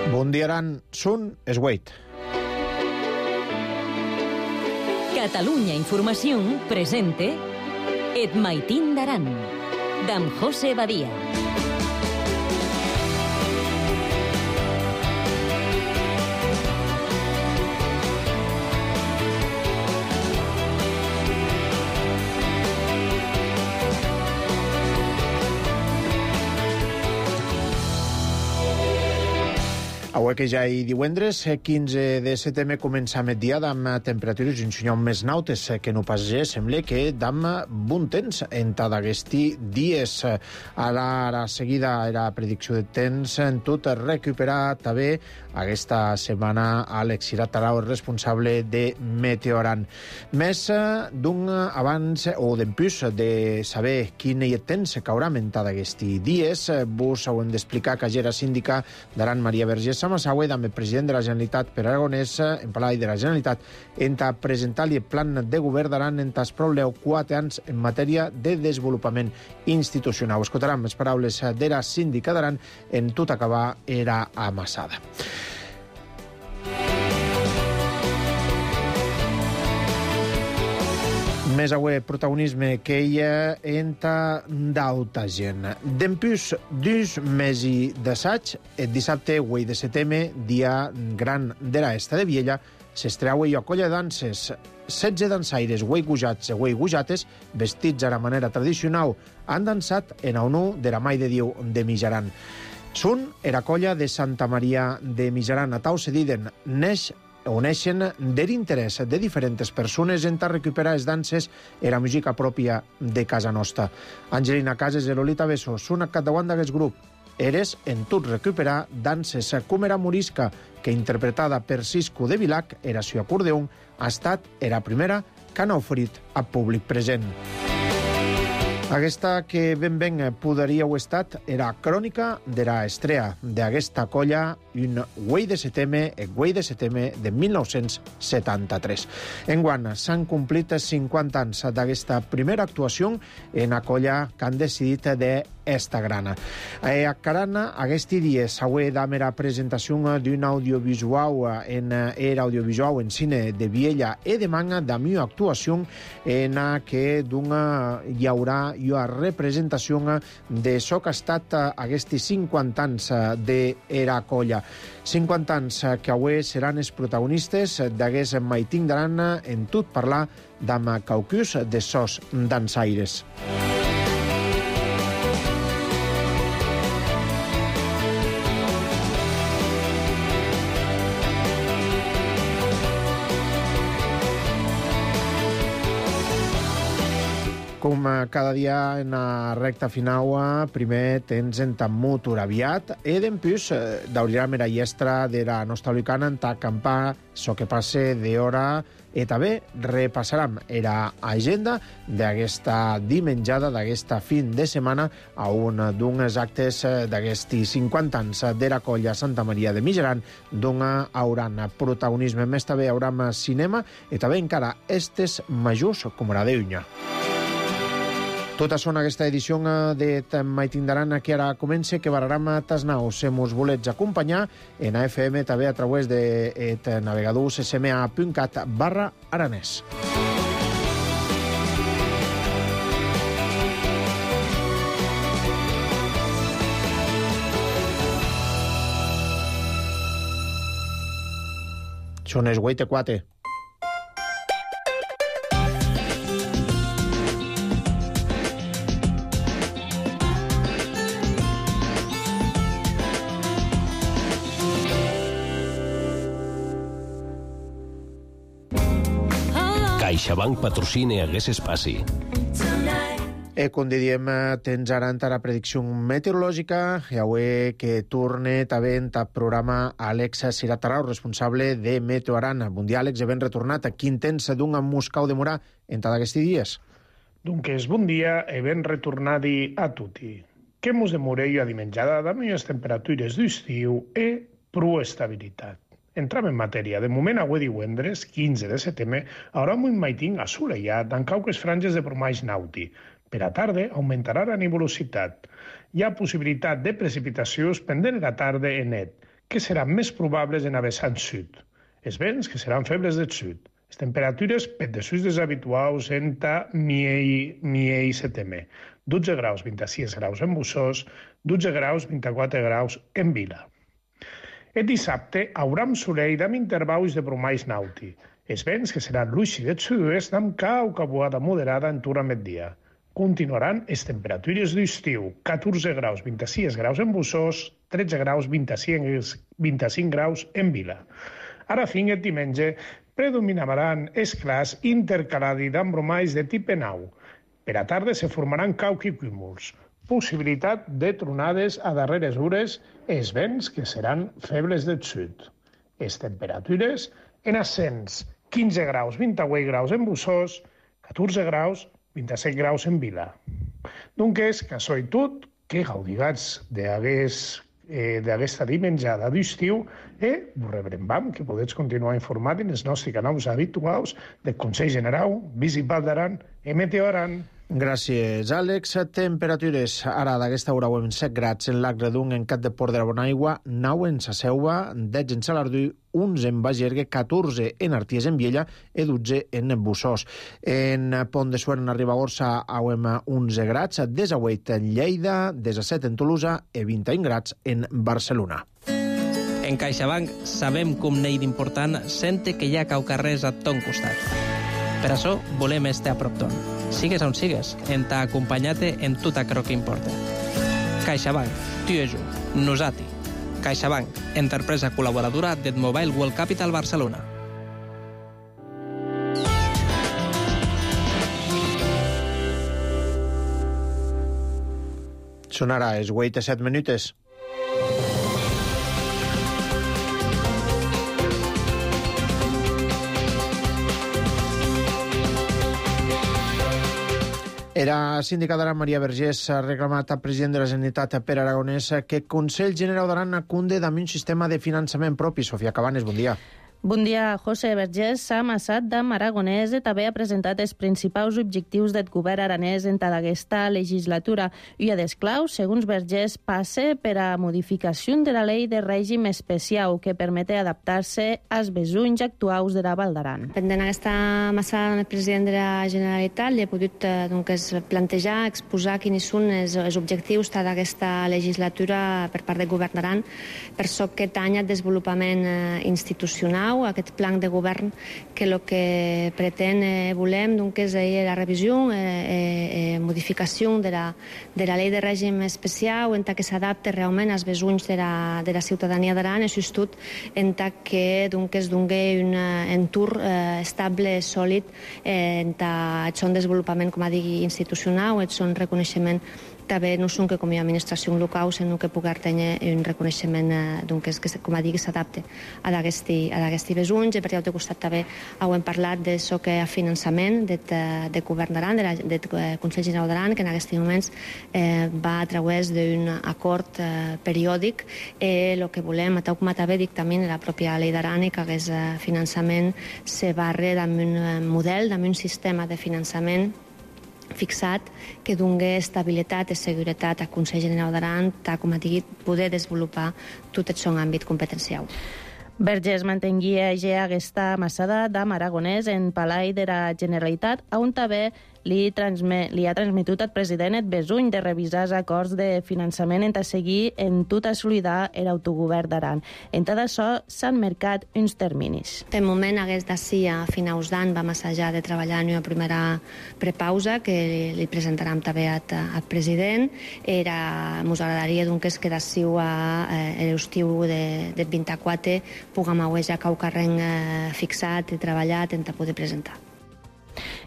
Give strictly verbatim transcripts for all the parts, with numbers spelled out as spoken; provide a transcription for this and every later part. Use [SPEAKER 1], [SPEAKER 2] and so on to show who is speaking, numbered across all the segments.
[SPEAKER 1] Bundiaran Sun Esweit.
[SPEAKER 2] Catalunya Informació presente Et Maitín d'Aran, d'en José Badia.
[SPEAKER 1] Avui que ja hi divendres, quinze de setembre, comença el dia amb temperatures un xinyon més nautes que no pas ja. Sembla que dam bon temps en tot aquests dies. Ara, ara seguida, era predicció de temps en tot recuperar també aquesta setmana Àlex Iratarau, responsable de Meteoran. Més d'un abans o d'empús de saber quin hi temps caurà en tot aquests dies, vos ho hem d'explicar que ja era síndica d'Aran, Maria Vergés Samassaué, també president de la Generalitat per Aragonès, en Palau de la Generalitat, en ta presentar-li el plan de govern d'Aran en tas probleu quatre anys en matèria de desenvolupament institucional. Escoltarem les paraules de la síndica d'Aran en tot acabar era amassada. Més avui protagonisme que hi ha entre d'alta gent. D'empús d'uns mesos d'assaig, el dissabte vuit de setembre, dia gran de l'esta de Viella, s'estreua i acolla danses. setze dansaires ueigujats i ueigujates, vestits a la manera tradicional, han dansat en honor de la Mai de Déu de Mijaran. Són era colla de Santa Maria de Mijaran, a tau se diden, neix on neixen de l'interès de diferents persones en a recuperar les danses i la música pròpia de casa nostra. Angelina Cases i Lolita Besso són a capdavant d'aquest grup. Eres en tot recuperar danses com era Morisca, que interpretada per Cisco de Vilac, era su acordeón, ha estat era primera que han oferit al públic present. Aquesta que ben ben podríeu estat era crònica de la estrella d'aquesta colla un vuit de setembre, el vuit de setembre de mil nou-cents setanta-tres. Enguany s'han complit cinquanta anys d'aquesta primera actuació en la colla que han decidit d'esta grana. A Carana, aquest dia s'ha dame la presentació d'un audiovisual en era audiovisual en cine de Viella i de Manga de mi actuació en què hi haurà una representació de so que ha estat aquests cinquanta anys de era colla. cinquanta anys que avui seran els protagonistes d'aquest Maitín d'Aran en tot parlar d'ama caucus de sos dansaires. Com cada dia en la recta final, primer tens en Tammut Uraviat i d'empús d'hauria la llestra de la nostra lucana en ta acampar so que passe d'hora i també repassarem la agenda d'aquesta dimenjada, d'aquesta fin de setmana a un d'uns actes d'aquests cinquanta anys de la colla Santa Maria de Mijaran, d'on hauran protagonisme més també hauran cinema i també encara estes majors com la d'Eunya. Tota són aquesta edició de Maitín d'Aran que ara comença, que bararem tas naus. Si mos volets acompanyar en A F M també a través de navegador c s m a punt cat barra aranès. Són els vuit i quatre.
[SPEAKER 3] CaixaBank patrocina aquest espai.
[SPEAKER 1] E com diem, tens ara la predicció meteorològica i avui que torna també en el programa Àlex Iratarau, responsable de Meteoran. Bon dia, Àlex, ben retornat. Quin temps d'un Moscau de Morà en tots aquests dies?
[SPEAKER 4] Doncs bon dia e ben retornadi a tutti. Que mos demoreu a dimenjada de millors temperatures d'estiu e prou estabilitat. Entram en matèria. De moment, avui divendres, quinze de setembre, haurà un Maitín assolellat amb cauques franges de formatge nàutic. Per a tarda augmentarà la nebulositat. Hi ha possibilitat de precipitacions pendent de la tarda en net, que seran més probables en a vessant sud. Els vents que seran febles del sud. Les temperatures per dessús dels habituals entre miei i setembre. dotze graus, vint-i-sis graus en Bussós, dotze graus, vint-i-quatre graus en Vila. El dissabte hauram solell amb intervals de bromalls nauti. Els vents que seran l'uixi del sud-oest amb cau cabuada moderada en turn a migdia. Continuaran les temperatures d'estiu, catorze graus, vint-i-sis graus en Bussós, tretze graus, vint-i-cinc graus en Vila. Ara fin el diumenge predominaran els clars intercalats amb bromalls de tipus nau. Per a tarda se formaran caucs i cúmuls. Possibilitat de tronades a darreres hores, els vents que seran febles del sud. Les temperatures en ascens, quinze graus, vint-i-vuit graus en Bussós, catorze graus, vint-i-set graus en Vila. Doncs, que això i tot, que gaudigats d'aquesta eh, dimenjada d'estiu, eh, us rebrem, que podeu continuar informat en els nostres canals habituals del Consell General, Visit Val d'Aran i Meteo Aran.
[SPEAKER 1] Gràcies, Àlex. Temperatures ara d'aquesta hora en set grads en l'Agredung, en Cat de Port de la Bonaigua, nou en Sa Selva, dotze en Salardú, onze en Bagergue, catorze en Arties en Viella i dotze en Bussós. En Pont de Suert, en Ribagorça, auem onze grads, desahuit en Lleida, disset en Tolosa i vint i un grads en Barcelona.
[SPEAKER 5] En CaixaBank sabem com n'hi d'important sente que hi ha cau carrers a ton costat. Per això volem estar a prop ton. Sigues on sigues, en t'ha acompanyat-te en tot aquello que importa. CaixaBank, tu i jo, nosati. CaixaBank, empresa col·laboradora del Mobile World Capital Barcelona.
[SPEAKER 1] Són ara els vuit i set minutes. Era síndica d'Aran, Maria Vergés, ha reclamat al president de la Generalitat, Pere Aragonès, que el Consell General d'Aran acunde amb un sistema de finançament propi. Sofia Cabanes, bon dia.
[SPEAKER 6] Bon dia, José Vergés. S'ha amassat d'Am Aragonès i també ha presentat els principals objectius del govern aranès en aquesta legislatura. I a desclau, segons Vergés, passe per a modificació de la llei de règim especial que permete adaptar-se als besunys actuals de la Val d'Aran.
[SPEAKER 7] Pendent aquesta amassada amb el president de la Generalitat, li he pogut eh, doncs, plantejar, exposar quins són els, els objectius d'aquesta legislatura per part del govern d'Aran per aquest any de desenvolupament eh, institucional, aquest plan de govern que el que pretén eh, volem doncs, és eh, la revisió i eh, eh, modificació de la, de la llei de règim especial en que s'adapte realment als besunys de la, de la ciutadania d'Aran i sobretot en que doncs, es doni un entorn eh, estable, sòlid eh, en aquest desenvolupament, com a digui, institucional, aquest reconeixement també no són que com a administració local, sinó que pugui tenir un reconeixement eh, doncs, que, com a digui, s'adapte a d'aquests besunys. I per l'altre costat també hem parlat d'això que a finançament del de govern d'Aran, del Consell General d'Aran, que en aquests moments eh, va a través d'un acord eh, periòdic i el que volem, tal com també dictamin la pròpia llei d'Aran, que aquest finançament se barre amb un model, amb un sistema de finançament fixat que doni estabilitat i seguretat al Consell General d'Aran, tal com ha dit, poder desenvolupar tot el seu àmbit competencial.
[SPEAKER 6] Vergés mantenguia ja aquesta amassada d'Am Aragonès en Palai de la Generalitat, on també li, transmet, li ha transmetut al president el besuny de revisar els acords de finançament en seguir en tota solidar l'autogovern d'Aran. En tot això s'han marcat uns terminis.
[SPEAKER 7] De moment, hagués d'ací a finals d'any vam assajar de treballar en una primera prepausa que li presentarem també al president. Era, ens agradaria doncs, que d'ací a eh, l'estiu de, del vint-i-quatre puguem haver ja cau carreng eh, fixat i treballat en poder presentar.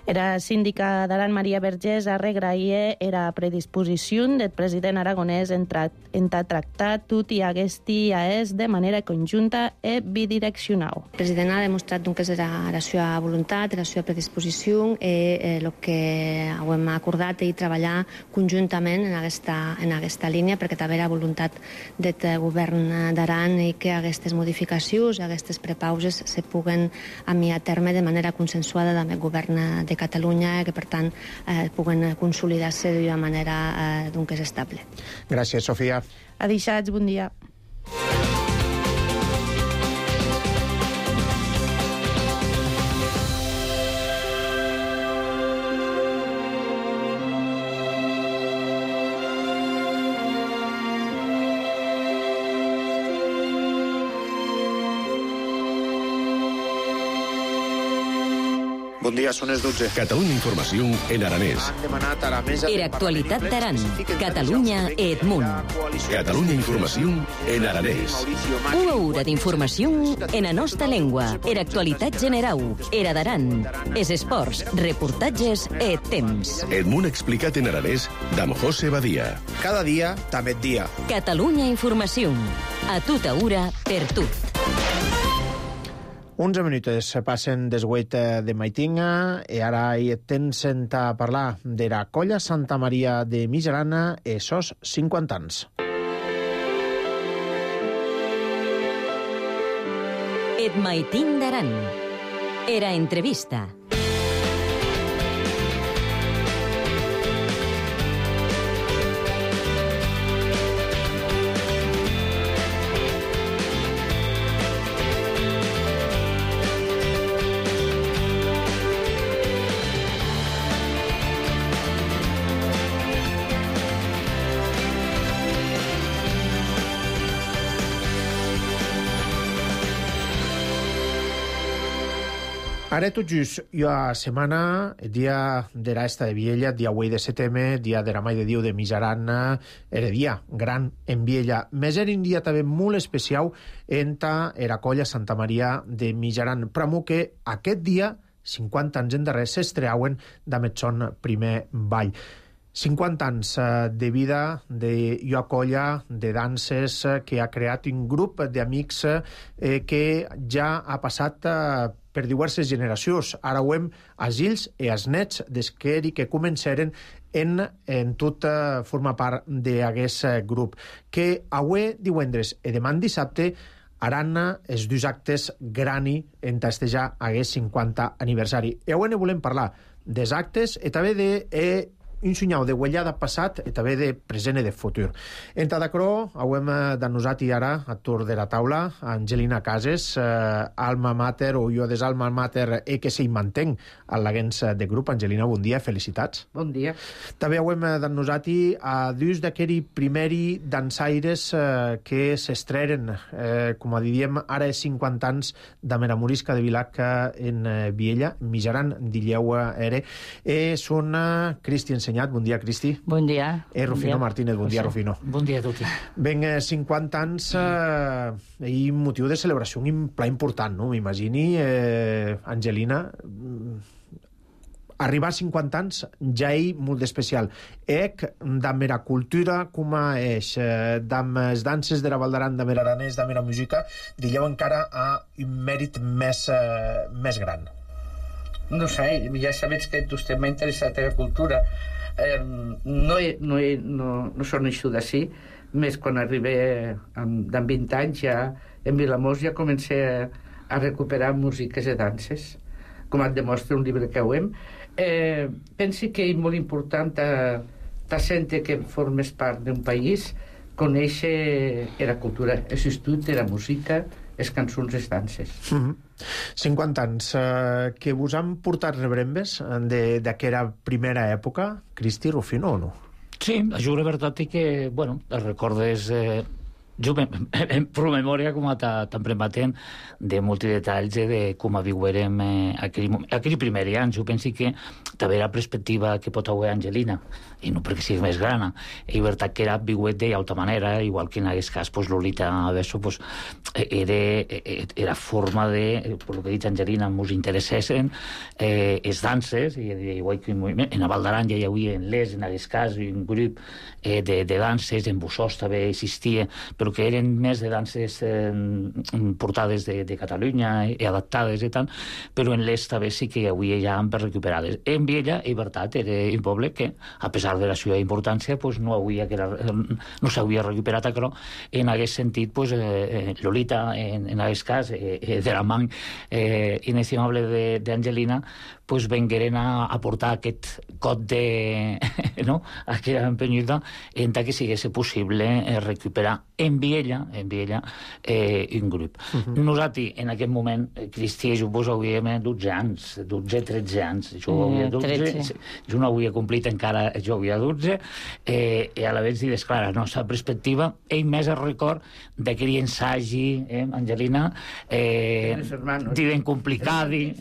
[SPEAKER 6] Era síndica d'Aran, Maria Vergés, a regrair era predisposició del president aragonès en, tra en tractar tot i aquesta és de manera conjunta i bidireccional.
[SPEAKER 7] El president ha demostrat que és la seva voluntat, la seva predisposició i el que hem acordat i treballar conjuntament en aquesta, en aquesta línia, perquè també la voluntat del govern d'Aran i que aquestes modificacions, aquestes prepauses se puguen enviar a terme de manera consensuada amb el govern de de Catalunya, que per tant eh, puguen consolidar-se d'una manera eh, doncs, estable.
[SPEAKER 1] Gràcies, Sofia.
[SPEAKER 6] Adixats, bon dia.
[SPEAKER 1] Bon dia, són les dotze.
[SPEAKER 3] Catalunya Informació en aranès.
[SPEAKER 1] Han demanat a la mesa...
[SPEAKER 2] Era actualitat d'Aran. Catalunya Edmunt.
[SPEAKER 3] Catalunya Informació en aranès.
[SPEAKER 2] Una hora d'informació en la nostra llengua. Era actualitat general. Era d'Aran. Es esports, reportatges e temps.
[SPEAKER 3] Edmunt explicat en aranès d'Am José Badia.
[SPEAKER 1] Cada dia, també et dia.
[SPEAKER 2] Catalunya Informació. A tota hora, per tot.
[SPEAKER 1] onze minuts passen des huit de maitinga i ara hi tens a parlar de la colla Santa Maria de Mijarana e sos cinquanta anys.
[SPEAKER 2] Et maitin d'Aran. Era entrevista.
[SPEAKER 1] Ara tot just, jo a setmana, dia de l'esta de Viella, dia huit de setembre, dia de la Mai de Diu de Mijarana, era dia gran en Viella. Més era un dia també molt especial enta era colla Santa Maria de Mijaran. Però que aquest dia, cinquanta anys endarrere, s'estreauen d'amет son primer ball. cinquanta anys de vida de jo colla de danses que ha creat un grup d'amics eh, que ja ha passat eh, per diverses generacions. Ara ho hem als fills i als nets des que eri que començaren en, en tot eh, formar part d'aquest eh, grup. Que avui divendres i demà dissabte haran els dos actes grani en festejar aquest cinquanta aniversari. I avui ne volem parlar dels actes i també de... Eh, un senyal de guanyada passat i també de present i de futur. En Tadacró, hem denosat i ara a tour de la taula Angelina Cases, eh, alma mater o jo des alma mater e que s'hi mantenc a l'agents de grup. Angelina, bon dia, felicitats.
[SPEAKER 8] Bon dia.
[SPEAKER 1] També hem denosat i a dus d'aquell primeri dansaires eh, que s'estreren, eh, com a diríem, ara és cinquanta anys de Meramorisca de Vilac en eh, Viella, Mijaran, Dilleu ere. Eh, són eh, Cristian Bon dia, Cristi.
[SPEAKER 8] Bon dia.
[SPEAKER 1] E Rufino
[SPEAKER 8] bon
[SPEAKER 1] Martínez, bon dia, Rufino.
[SPEAKER 8] Bon dia a tutti.
[SPEAKER 1] Ben, cinquanta anys eh, i motiu de celebració un pla important, no? M'imagini, eh, Angelina, arribar a cinquanta anys ja és molt especial. Ec, damb era cultura, com és, eh, damb les danses de la Val d'Aran, damb l'aranès, damb la música, digueu encara a un mèrit més, eh, més gran.
[SPEAKER 8] No sé, ja sabets que vostè m'ha interessat a la cultura. Eh, no, he, no, he, no, no són això d'ací, més quan arribé amb, amb vint anys ja en Vilamós ja comencé a, a recuperar músiques i danses, com et demostra un llibre que ho hem. Eh, pensi que és molt important ta, ta gent que formes part d'un país conèixer la cultura, l'assistut de la música, les cançons, les danses.
[SPEAKER 1] Mm-hmm. cinquanta anys. Eh, que vos han portat rebrembes d'aquella primera època, Cristi, Rufino, o no?
[SPEAKER 9] Sí, jo la veritat és que, bueno, els recordes... Eh, jo em promemòria com a tan prematent de molts detalls de com viurem eh, aquell, aquell primer any. Jo penso que també la perspectiva que pot haver Angelina, i no perquè sigui més grana, és veritat que era viuet d'altra manera, igual que en aquest cas pues, Lolita Besso pues, era, era forma de, per lo que ha dit Angelina, ens interessessin eh, les danses, i igual que en la Val d'Aran ja hi havia en l'Es, en aquest cas, un grup eh, de, de danses, en Bussós també existia, però que eren més de danses eh, portades de, de Catalunya i adaptades i tant, però en l'est també sí que avui ja han recuperades. En Viella, és veritat, era un poble que, a pesar de la seva importància, pues, no, havia que era, no s'havia recuperat això. En aquest sentit, pues, eh, Lolita, en, en aquest cas, eh, de la mà eh, inestimable d'Angelina, pues, vengueren a, a portar aquest cot de... no? aquella empenyida en que sigués possible eh, recuperar en en Viella, en Viella eh, un grup. Uh -huh. Nosaltres, en aquest moment, Cristià, jo vos hauríem dotze anys, dotze, tretze anys. Jo havia dotze, jo no havia complit encara, jo havia dotze, eh, i a la vegada, des clar, la nostra perspectiva, ell més el record d'aquell ensagi, eh, Angelina, eh, diuen complicadi,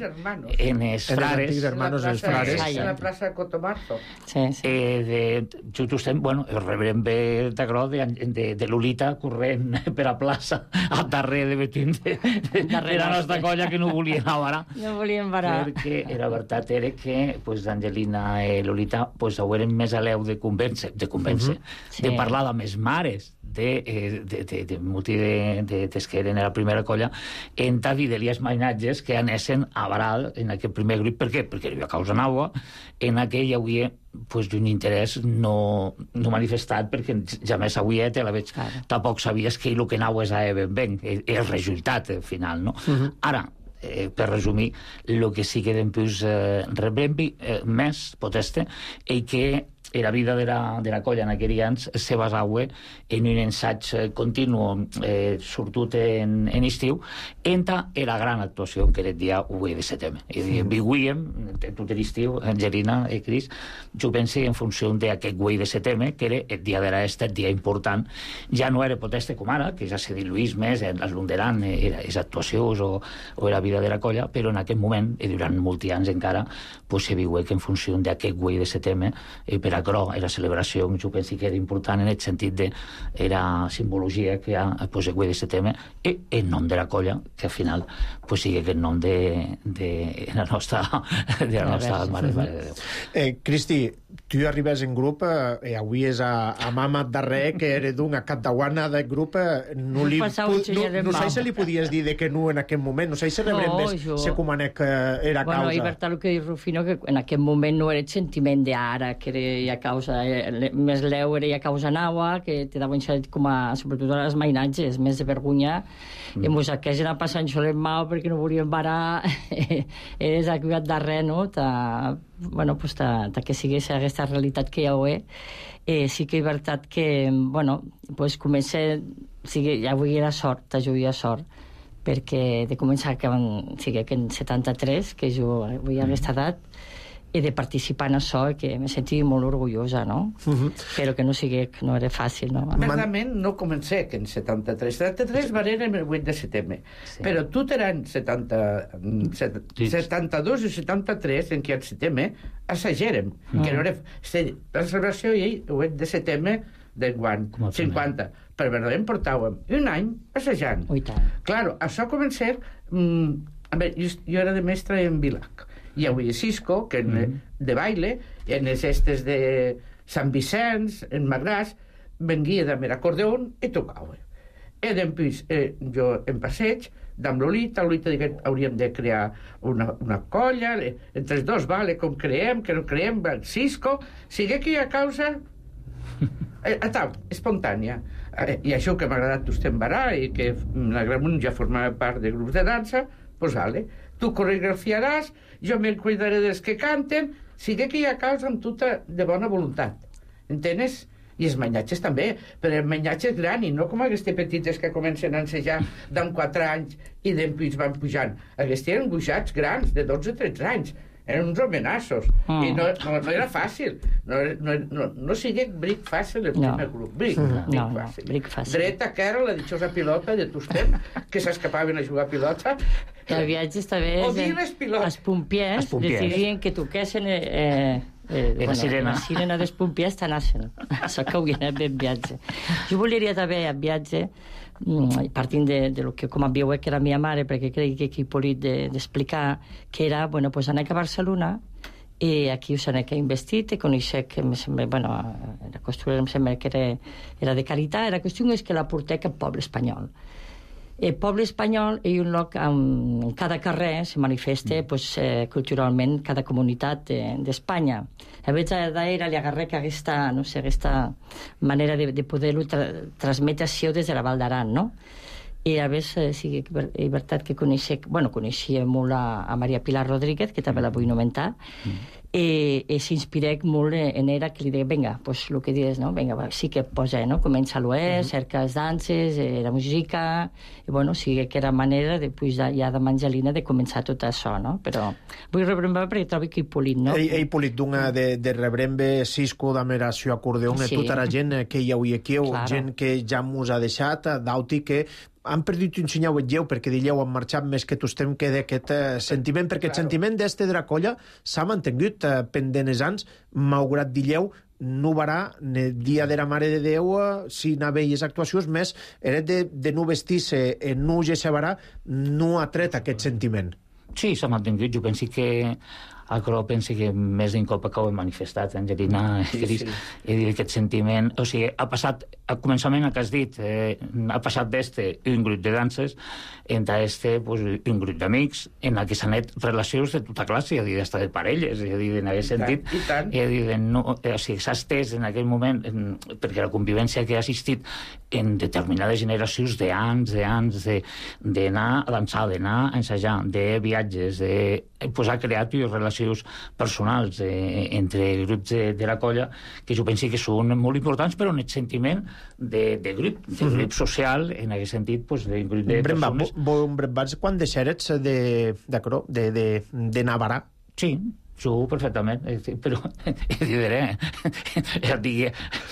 [SPEAKER 9] en els frares,
[SPEAKER 1] hermanos els frares,
[SPEAKER 8] en la plaça de Cotomarzo.
[SPEAKER 9] Sí, sí. Eh, de, just estem, bueno, el reverend ve d'agrò de, de, de Lolita corrent per a plaça a darrere de Betín de, de, de la nostra colla que no volien avarar.
[SPEAKER 6] No volien varar.
[SPEAKER 9] Perquè era veritat era que pues, Angelina i Lolita pues, ho eren més a l'eu de convèncer, de convèncer, uh -huh. sí. de parlar amb les mares de, de, de, de, de muti de, de, de que eren la primera colla en ta dir-li mainatges que anessen a varar en aquest primer grup. Per què? Perquè hi havia causa nova, en aquell hi havia pues, un interès no, no manifestat, perquè ja més avui te la veig, claro. Tampoc sabies que el que anava és a ben ben, el resultat final, no? Uh -huh. Ara, eh, per resumir, el que sí que d'empús eh, rebrembi eh, més poteste i que la vida de la, de la colla en aquells anys se basava en un ensaig continu eh, sortut en, en estiu entre la gran actuació que era el dia u de setembre. I vivíem tot l'estiu, Angelina i Cris, jo penso en funció d'aquest u de setembre, que era el dia de l'est, el dia important. Ja no era poteste com ara, que ja se diluís més, es lunderan les actuacions o, o la vida de la colla, però en aquest moment, i durant molts anys encara, pues, se viu que en funció d'aquest u de setembre, eh, per a però la celebració, jo penso que era important en el sentit de la simbologia que hi ha pues, el u de setembre i el nom de la colla, que al final pues, sigui el nom de, de la nostra, de la nostra Mare, Mare de Déu.
[SPEAKER 1] Eh, Cristi, tu arribes en grup eh, avui és a, a Mama darrer, que era d'una catauana del grup, eh, no, li, no, no sé si li podies dir de que no en aquest moment, no sé si rebrem més
[SPEAKER 10] jo...
[SPEAKER 1] se comanec que era
[SPEAKER 10] bueno,
[SPEAKER 1] causa.
[SPEAKER 10] Bueno, i per tal que diu Rufino, que en aquest moment no era el sentiment d'ara, que era causa, eh, més leu era a causa naua, que te daven com a, sobretot a les mainatges, més de vergonya, mm. i mos aquells eren passant xolem mau perquè no volien varar, eres acuat darrer, no? Ta, bueno, pues ta, ta que sigués aquesta realitat que hi ha avui, eh, sí que és veritat que, bueno, pues comença, sí, ja avui era sort, t'ajudia sort, perquè de començar que van, sigui que en setanta-tres, que jo avui a aquesta edat, i de participar en això, que me senti molt orgullosa, no? Uh -huh. Però que no sigui, que no era fàcil, no?
[SPEAKER 8] Verdament no comencé que en setanta-tres. setanta-tres va ser el vuit de setembre. Sí. Però tot eren setanta, setanta-dos i setanta-tres, en què al setembre assagérem, uh -huh. que no era... La celebració i el vuit de setembre d'enguany, cinquanta. Per verdament portàvem un any assajant.
[SPEAKER 10] Ui, tant.
[SPEAKER 8] Claro, això començar... Mm, a veure, jo, jo era de mestre en Vilac. Hi havia Cisco, que en, mm. de baile, en les estes de Sant Vicenç, en Magràs, venguia de l'acordeon i tocava. I després, eh, jo en passeig, d'amb Lolita, Lolita digué, hauríem de crear una, una colla, entre els dos, vale, com creem, que no creem, Cisco, sigue que hi ha causa eh, tal, espontània. Eh, I això que m'ha agradat vostè embarar i que la Gramunt ja formava part de grups de dansa, pues vale, tu coreografiaràs, jo me'n cuidaré dels que canten, sigui que hi ha causa amb tota de bona voluntat. Entenes? I els mainatges també, però els mainatges grans, i no com aquestes petites que comencen a ensejar d'en quatre anys i després van pujant. Aquests eren buixats grans, de dotze o tretze anys. Eren uns homenassos. Mm. I no, no, no era fàcil. No, no, no, no sigui bric fàcil el primer no. grup. Bric,
[SPEAKER 10] no,
[SPEAKER 8] bric,
[SPEAKER 10] no,
[SPEAKER 8] fàcil.
[SPEAKER 10] No, bric fàcil.
[SPEAKER 8] Dreta, que era la dichosa pilota de Tustem, que s'escapaven a jugar a pilota.
[SPEAKER 10] El viatge també és... Els pompiers decidien que toquessin... Eh, Eh,
[SPEAKER 9] bueno, la sirena.
[SPEAKER 10] La sirena dels pompiers t'anassen. Això que hauria anat ben viatge. Jo volia també a viatge, partint de, de lo que com a viu que era la meva mare, perquè crec que aquí he pogut d'explicar que era, bueno, pues anar a Barcelona i aquí us anava investit i conèixer que em sembla, bueno, la costura em sembla que era, era de caritat, la qüestió és que la portè cap poble espanyol. El poble espanyol és un lloc on en cada carrer se manifesta mm. pues, eh, culturalment cada comunitat d'Espanya. De, a vegades d'era li agarré que aquesta, no sé, aquesta manera de, de poder-ho tra transmetre això des de la Val d'Aran, no? I a vegades eh, sí, és veritat que coneixia, bueno, coneixia molt a, a Maria Pilar Rodríguez, que també la vull nomentar, mm. i, i s'inspirec molt en era, que li deia, vinga, pues, el que dius, no? Vinga, va, sí que posa, no? Comença a l'oest, uh -huh. cerca les danses, eh, la música, i bueno, sí que era manera, després de, ja de Mangelina, de començar tot això, no? Però vull rebrembar perquè trobo que Hippolit, no?
[SPEAKER 1] Ei, ei Hippolit, d'una de, de rebrembe Cisco d'Ameració Acordeon, sí. Tota la gent que hi hauria aquí, claro. Gent que ja mos ha deixat, d'auti que han perdut un senyal lleu perquè dilleu han marxat més que tostem que d'aquest eh, sentiment, perquè claro. El sentiment d'este de la colla s'ha mantingut eh, pendent els anys, malgrat dilleu no varà, el dia de la Mare de Déu, eh, si no veies actuacions més, era de, de no vestir-se en no gesevarà, no ha tret aquest sentiment.
[SPEAKER 9] Sí, s'ha mantingut. Jo penso que Acro penso que més d'un cop que ho he manifestat, Angelina, sí, Cris, sí. He dit aquest sentiment, o sigui, ha passat, al començament que has dit, eh, ha passat d'este un grup de danses, entre este pues, un grup d'amics, en el que s'han net relacions de tota classe, és a dir, d'estar de parelles, és a dir, en aquest sentit,
[SPEAKER 8] I tant, i tant.
[SPEAKER 9] És a dir, no, o sigui, s'ha estès en aquell moment, en, perquè la convivència que ha assistit en determinades generacions d'anys, d'anys, d'anar a dansar, d'anar a ensajar, de viatges, de pues, ha creat relacions personals eh, entre grups de, de la colla que jo penso que són molt importants, però en el sentiment de, de grup, de grup mm-hmm. social, en aquest sentit, pues, de grup de
[SPEAKER 1] Bremba,
[SPEAKER 9] persones.
[SPEAKER 1] Bremba, quan deixarets de, de, de, de, de Navarra?
[SPEAKER 9] Sí, jo perfectament, però diré, ja et digui,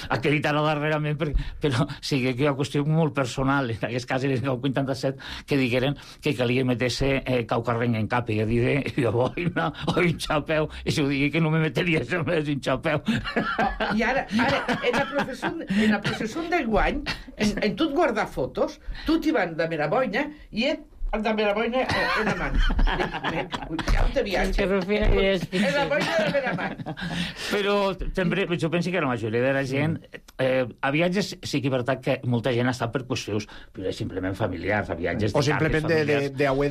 [SPEAKER 9] acreditar-ho darrerament, però sí que hi ha una qüestió molt personal, en aquest cas, en el vuitanta-set, que digueren que calia meter-se eh, caucarrenc en cap, i jo diré, jo boina, o un xapeu, i si ho digui que no me meteria això més un xapeu.
[SPEAKER 8] Oh, I ara, ara, en la processó, en la processó de guany, en, en tot guardar fotos, tu t'hi van de Meraboina, i et el de Meraboina en la mà. Ja ho te viatge. En la boina de Meraboina.
[SPEAKER 9] Però també, jo penso que la majoria de la gent, eh, a viatges sí que és veritat que molta gent està per qüestions, però simplement familiars, a viatges
[SPEAKER 1] o simplement d'haver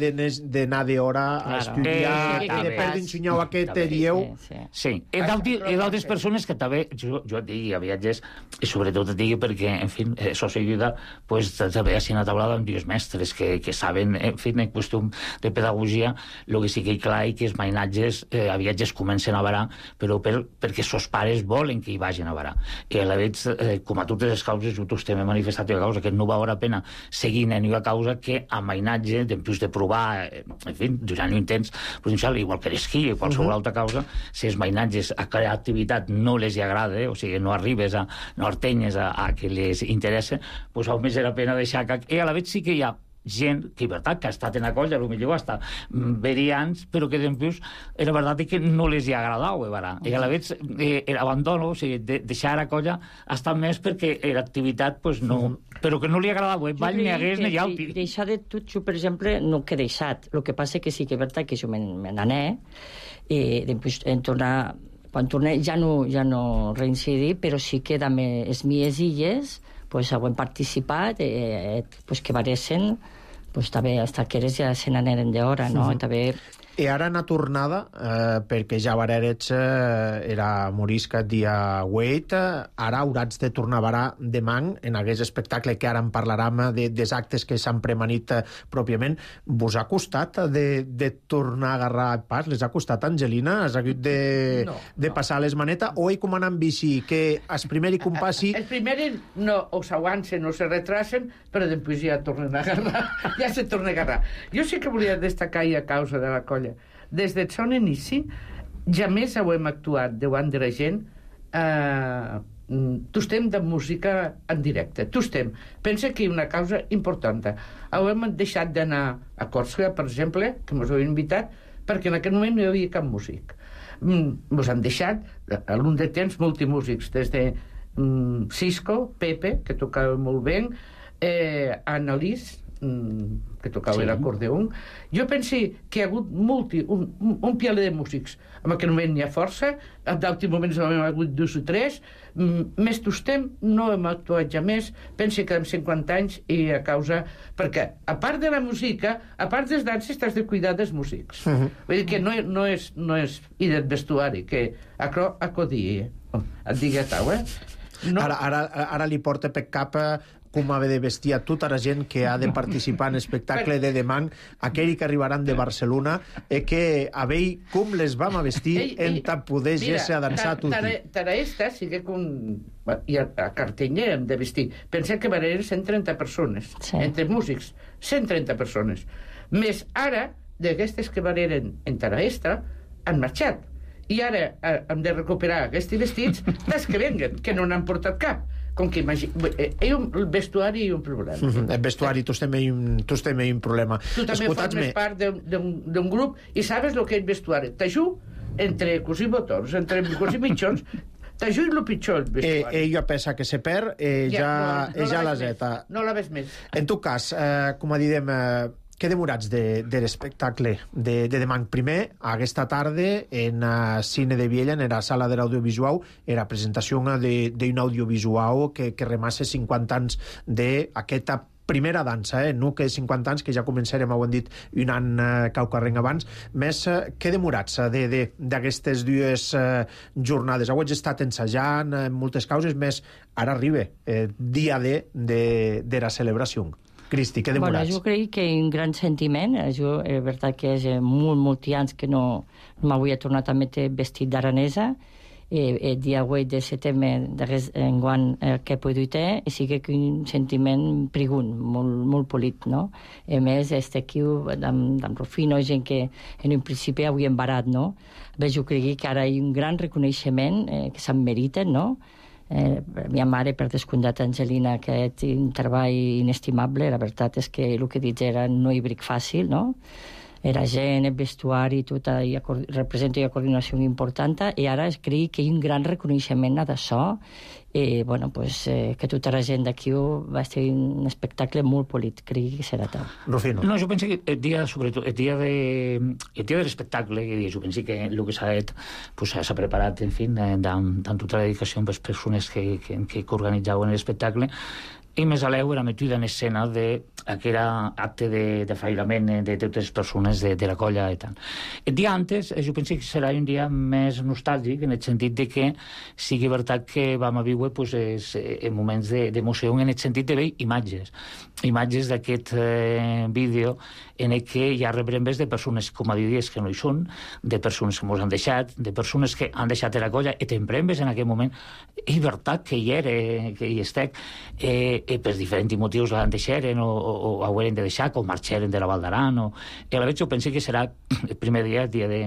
[SPEAKER 1] d'anar d'hora a estudiar, i de perdre un senyal aquest dieu.
[SPEAKER 9] Sí, i d'altres persones que també, jo et digui, a viatges, i sobretot et digui perquè, en fi, societat, pues també ha sigut una taulada amb dies mestres que saben, en fi, en qüestió de pedagogia, el que sí que hi clar i que els mainatges eh, a viatges comencen a varar, però per, perquè sos pares volen que hi vagin a varar. I a la vegada, eh, com a totes les causes, jo t'ho hem manifestat a causa que no val la pena seguir en una causa que a mainatge, després de provar, eh, en fi, durant un temps, potencial, igual que l'esquí o qualsevol uh -huh. altra causa, si els mainatges a cada activitat no les agrada, eh, o sigui, no arribes a, no artenyes a, a que les interessa, doncs almenys era pena deixar que... I a la vegada sí que hi ha gent que, veritat, que ha estat en la colla, potser hasta verians, però que després era veritat que no les hi ha agradat, eh, i a la vegada eh, l'abandono, o sigui, de, deixar la colla ha estat més perquè l'activitat, pues, no, però que no li agradava, eh, ball ni hagués ni alpi.
[SPEAKER 10] Deixar de tot, jo, per exemple, no que he deixat, el que passa que sí que és veritat que jo me n'ané, i després en tornar, quan torné ja no, ja no reincidir, però sí que de les mies illes pues, ho hem participat, eh, pues, que varessin, pues, també els taqueres ja se n'aneren d'hora, no? Mm-hmm. També...
[SPEAKER 1] I ara una tornada, eh, perquè ja varerets eh, era morisca dia huit, eh, ara haurats de tornar a varar demà en aquest espectacle que ara en parlarem de, dels actes que s'han premanit eh, pròpiament. Vos ha costat de, de tornar a agarrar el pas? Les ha costat, Angelina? Has hagut de, no, de passar no. les manetes? O hi com anar amb bici, que el primer hi compassi...
[SPEAKER 8] El primer no, o s'avancen o se retrasen, però després ja tornen a agarrar. Ja se torna a agarrar. Jo sí que volia destacar i a causa de la colla. Des del son inici, ja més ho hem actuat davant de la gent, eh, tostem de música en directe, tostem. Pensa que hi ha una causa important. Ho hem deixat d'anar a Còrsega, per exemple, que ens heu invitat, perquè en aquell moment no hi havia cap músic. Ens han deixat, a l'un de temps, multimúsics, des de mm, Cisco, Pepe, que tocava molt bé, eh, Annalise, que tocava sí. l'acordeon. Jo penso que hi ha hagut multi, un, un, un pialet de músics. En aquell moment n'hi ha força, en d'altres moments n'hi ha hagut dos o tres, més tostem, no hem actuat ja més, penso que en cinquanta anys i a causa... Perquè, a part de la música, a part dels danses, t'has de cuidar dels músics. Uh -huh. Vull dir que no, no, és, no és... I del vestuari, que acro acodí, eh? Et digui a tau, eh?
[SPEAKER 1] No. Ara, ara, ara li porta per cap com ha de vestir a tota la gent que ha de participar en l'espectacle de demà, aquells que arribaran de Barcelona, i que a veure com les vam a vestir en ta poder ser a dansar a tutti.
[SPEAKER 8] Tara esta sigue con... I a, a Cartenya hem de vestir. Pensem que van haver cent trenta persones, entre músics, cent trenta persones. Més ara, d'aquestes que van haver en Tara esta, han marxat. I ara eh, hem de recuperar aquests vestits dels que venguen, que no n'han portat cap. Com que imagina... Eh, un, el vestuari hi ha un problema.
[SPEAKER 1] Mm-hmm. El vestuari, tu estem un, tu estem un problema.
[SPEAKER 8] Tu també formes part d'un grup i sabes el que és vestuari. T'ajudo entre cosir botons, entre cosir mitjons, t'ajudo el pitjor, el vestuari.
[SPEAKER 1] Eh, ella pensa que se perd, eh, ja, ja, no, no ja la zeta.
[SPEAKER 8] No la ves més.
[SPEAKER 1] En tot cas, eh, com a direm... Eh, què demorats de, de l'espectacle de, de demà? Primer, aquesta tarda, en uh, Cine de Viella, en la sala de l'audiovisual, era presentació d'un audiovisual que, que remassa cinquanta anys d'aquesta primera dansa, eh? No que cinquanta anys, que ja començarem, ho hem dit, un any eh, caucarrenc abans. Més, eh, què demorats d'aquestes dues eh, jornades? Heu estat ensajant en moltes causes, més ara arriba eh, dia D de, de la celebració. Cristi, què demorats?
[SPEAKER 10] Bueno, jo crec que un gran sentiment. Jo, és veritat que és molt, molt anys que no, no m'havia tornat a metre vestit d'aranesa. El, el dia vuit de setembre enguany eh, que he pogut i sí que un sentiment prigun, molt, molt polit, no? A més, este aquí, amb, amb Rufino, gent que en un principi havia embarat, no? Bé, jo crec que ara hi ha un gran reconeixement eh, que se'n meriten, no? Eh, mia mare, per descomptat, Angelina, que és un treball inestimable. La veritat és que el que dic era no hi bric fàcil, no? Era gent, el vestuari, tot, i representa una coordinació important, i ara crec que hi ha un gran reconeixement d'això, i bueno, pues, eh, que tota la gent d'aquí va ser un espectacle molt polit, crec que serà tal.
[SPEAKER 1] Rufino.
[SPEAKER 9] No, jo penso que el dia, sobretot, el dia de, el dia de l'espectacle, jo penso que el que s'ha fet, pues, s'ha preparat, en fi, amb tota la dedicació amb les persones que, que, que organitzaven l'espectacle, i més a l'eu era metida en escena d'aquell acte de, de fairament de totes les persones de, de la colla i tal. El dia antes, jo penso que serà un dia més nostàlgic, en el sentit de que sigui veritat que vam a viure pues, es, en moments d'emoció, en el sentit de veure imatges. Imatges d'aquest eh, vídeo en el que hi ha rebrembes de persones, com a diries, que no hi són, de persones que ens han deixat, de persones que han deixat la colla, i temprembes en aquell moment. És veritat que hi era, que hi estec, eh, i per diferents motius l'han deixaren o, o, o haurem de deixar, o marxaren de la Val d'Aran, o... I a la vegada jo penso que serà el primer dia, el dia de,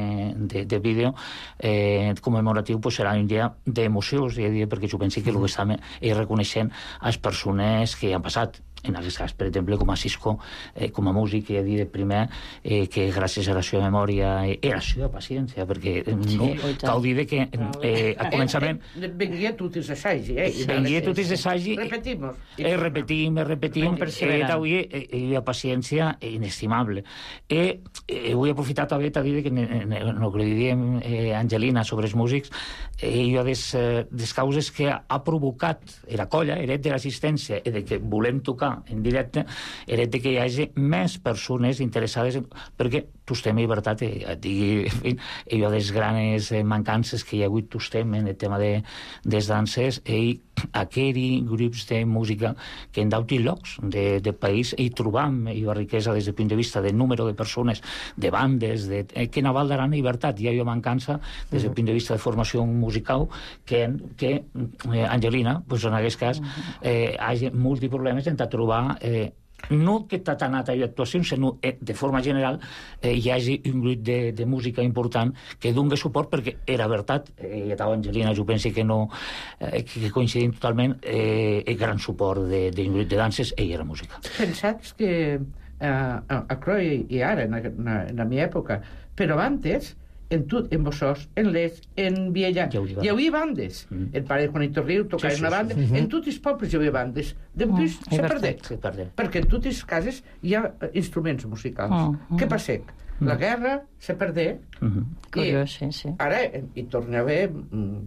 [SPEAKER 9] de, de vídeo eh, commemoratiu, pues serà un dia d'emoció, perquè jo penso que el que estem és reconeixent a les persones que han passat. En aquest cas, per exemple, com a Cisco, eh, com a músic, he de dir primer eh, que gràcies a la seva memòria i eh, a la seva paciència, perquè eh, no, sí, cal dir que eh, al començament...
[SPEAKER 8] Eh, eh, venguia tot els assagi, eh?
[SPEAKER 9] Venguia tot els assagi...
[SPEAKER 8] Repetimos.
[SPEAKER 9] Eh, repetim, eh, repetim. Eh, avui eh, hi ha paciència inestimable. Eh, eh, vull aprofitar també a dir que en el que li diem eh, Angelina sobre els músics, eh, hi ha des, eh, des causes que ha provocat la colla, eret de l'assistència, i de que volem tocar en directe, era de que hi hagi més persones interessades en... perquè tostem i veritat et digui, en fi, hi ha des grans mancances que hi ha hagut tostem en el tema de des danses i aquells grups de música que en d'autres llocs de, de país hi trobam i la riquesa des del punt de vista del número de persones, de bandes, de, eh, que en Val d'Aran i veritat hi ha una mancança des del punt de vista de formació musical que, que eh, Angelina, pues en aquest cas, eh, hi ha molts problemes en trobar eh, no que t'ha anat a actuacions, sinó eh, de forma general eh, hi hagi un grup de, de música important que doni suport, perquè era veritat, eh, i tal Angelina, jo penso que no eh, que coincidim totalment, eh, el gran suport d'un grup de danses i la música.
[SPEAKER 8] Pensats que eh, a Croi i ara, en, en, en la meva època, però antes en tot, en Bossós, en Les, en Viella, hi havia bandes. Mm. El pare de Juanito Riu tocava sí, sí, una banda. Sí, sí. En tots els pobles hi havia bandes. Després mm, se perdec. perdé. Perquè en totes les cases hi ha instruments musicals. Mm, mm. Què passa? Mm. La guerra se perdé. Mm -hmm.
[SPEAKER 10] Curiós, sí, sí.
[SPEAKER 8] Ara hi torna a haver... Mm,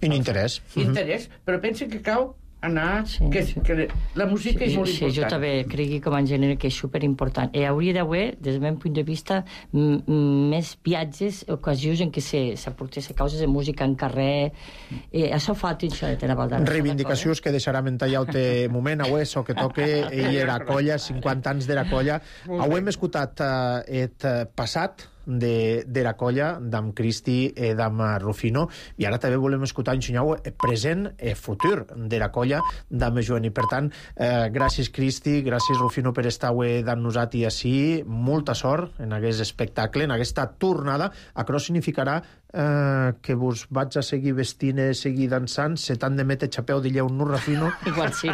[SPEAKER 1] un interès.
[SPEAKER 8] Interès, mm -hmm. però pensa que cau anar, sí, que, sí. que la música sí, és molt
[SPEAKER 10] sí,
[SPEAKER 8] important.
[SPEAKER 10] Sí, jo també crec com en genere que és superimportant. I hauria d'haver, des del meu punt de vista, més viatges, ocasions en què s'aportessin causes de música en carrer. I això fa això de tenir Valdara.
[SPEAKER 1] Reivindicacions que deixarem en tallar el moment, avui, so que toque, ell era colla, cinquanta anys d'era colla. Avui hem escoltat el passat d'era colla, d'am Cristi i d'am Rufino, i ara també volem escoltar en Xunyau present i futur d'era colla d'am Joan. I per tant, eh, gràcies Cristi, gràcies Rufino per estar avui d'en nosaltres així, molta sort en aquest espectacle, en aquesta tornada. Això significarà eh, que vos vaig a seguir vestint i seguir dansant, se t'han de metre xapeu de lleu, no, Rufino?
[SPEAKER 10] Igual sí.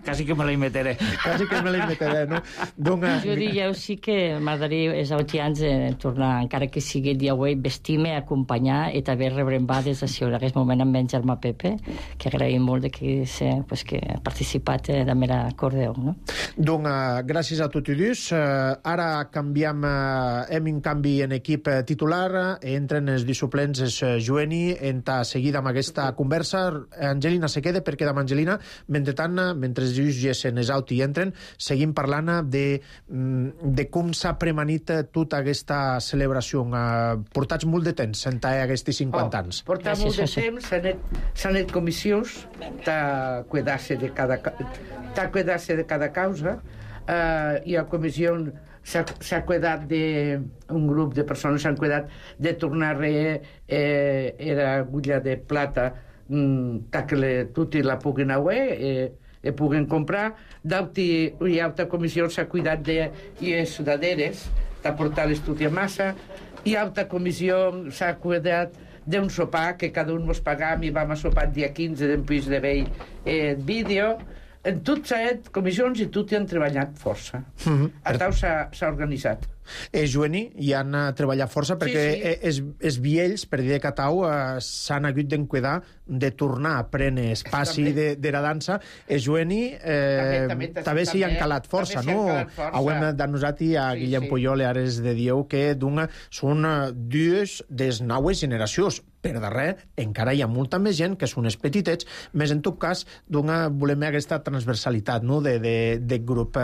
[SPEAKER 9] Quasi que me la meteré.
[SPEAKER 1] Quasi que me la meteré, no? Donc,
[SPEAKER 10] jo diria sí que m'agradaria els autians eh, tornar, encara que sigui el dia avui, vestir-me, acompanyar i també rebrembades així en aquest moment amb en Germà Pepe, que agraïm molt de que, se, pues, que ha participat eh, de mera acordeó, no?
[SPEAKER 1] Donc, uh, gràcies a tots i dos. Uh, ara canviem, uh, hem un canvi en equip uh, titular, uh, entren els dissuplents és uh, Joeni, entra seguida amb aquesta conversa. Angelina se queda perquè amb Angelina, mentrestant, mentre els gessen els auti i entren, seguim parlant de, de com s'ha premanit tota aquesta celebració. Uh, portats molt de temps en aquests cinquanta anys.
[SPEAKER 8] Oh, portar molt de temps, s'han anat comissions de cuidar-se de cada, de cuidar-se de cada causa. Uh, hi ha comissió, s'ha cuidat de, un grup de persones s'han cuidat de tornar a eh, era agulla de plata mm, que le, tutti la puguin haver eh, e puguen comprar. D'auti, hi ha altra comissió s'ha cuidat de les sudaderes de portar l'estudi a massa. Hi ha altra comissió s'ha cuidat d'un sopar que cada un mos pagam i vam a sopar el dia quinze d'en Puig de Vell eh, vídeo. En tot s'ha fet comissions i tot hi han treballat força. Mm-hmm. A tal s'ha organitzat.
[SPEAKER 1] Eh, Joeni, hi han treballat força perquè sí, sí. els, els viells, per dir de Catau, eh, s'han hagut d'encuidar de tornar a prendre espaci de, de la dansa. Eh, Joeni, eh, també, també, també s'hi han calat força, no? Hauem d'anusat i a sí, Guillem sí. Puyol i Ares de Dieu que d'una, són dues des noves generacions. Per darrer, encara hi ha molta més gent que són els petitets, més en tot cas, d'una, volem aquesta transversalitat, no?, de, de, de grup.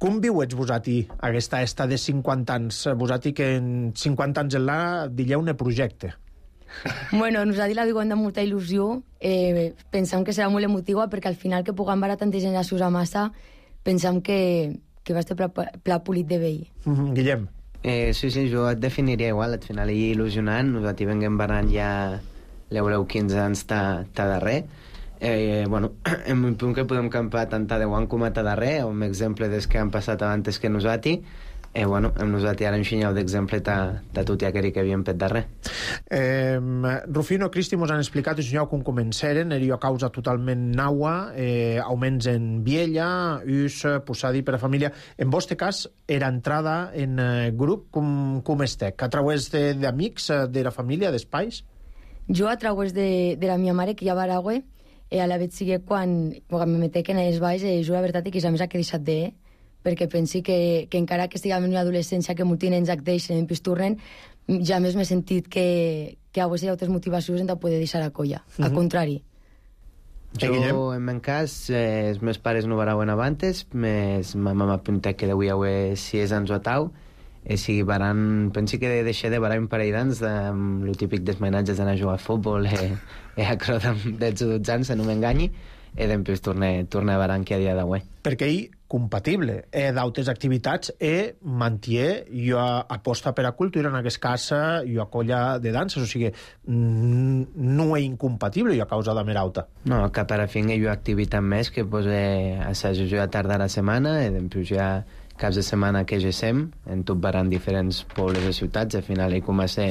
[SPEAKER 1] Com viuets vosati aquesta esta de cinquanta anys? Vosati que en cinquanta anys en la dileu un projecte.
[SPEAKER 11] Bueno, nosaltres la viuen de molta il·lusió. Eh, pensam que serà molt emotiva perquè al final que puguem veure tanta gent a Susa Massa pensam que, que va estar pla, pla polit de vell.
[SPEAKER 1] Mm-hmm. Guillem?
[SPEAKER 12] Eh, sí, sí, jo et definiria igual, al final hi il·lusionant, nosaltres venguem barant ja l'eureu quinze anys ta, ta darrer. Eh, bueno, en un punt que podem campar tant a deu anys com a ta darrer, un exemple des que han passat abans que nosaltres, eh, bueno, amb nosaltres ara enxinyeu d'exemple ta, ta tot i aquell que havíem fet darrer.
[SPEAKER 1] Eh, Rufino, Cristi, mos han explicat enxinyeu com començaren, era causa totalment naua, eh, augments en viella, us, posadi per a família. En vostre cas, era entrada en eh, grup, com, com estec? A través d'amics, de, de la família, d'espais?
[SPEAKER 11] Jo a través de, de la meva mare, que ja va a Aragüe, eh, a la vez sigue quan, quan me metec en els balls, eh, jo la veritat és que és a més que he deixat de, eh, perquè pensi que, que encara que estiguem en una adolescència que molts nens acteixen en pisturren, ja més m'he sentit que, que a vegades hi ha altres motivacions de poder deixar la colla. Mm-hmm. Al contrari.
[SPEAKER 12] Jo, en meu cas, eh, els meus pares no varauen abans, mes ma mama apuntat que deuia haver sis anys o tau, i sigui, baran, pensi que deixé de barar un parell d'anys amb el típic dels mainatges d'anar a jugar a futbol i, i a creu de dotze o dotze anys, no m'enganyi, i després torne, torne a barar que a dia d'avui.
[SPEAKER 1] Perquè ell compatible eh, d'altres activitats i manté i aposta per a cultura, en aquest cas i a colla de danses, o sigui, no és incompatible i a causa de mera alta.
[SPEAKER 12] No, que per a fi hi ha activitat més que pues, eh, assajo jo a tarda a la setmana i després ja caps de setmana que gesem, en tot baran diferents pobles i ciutats, al final hi comença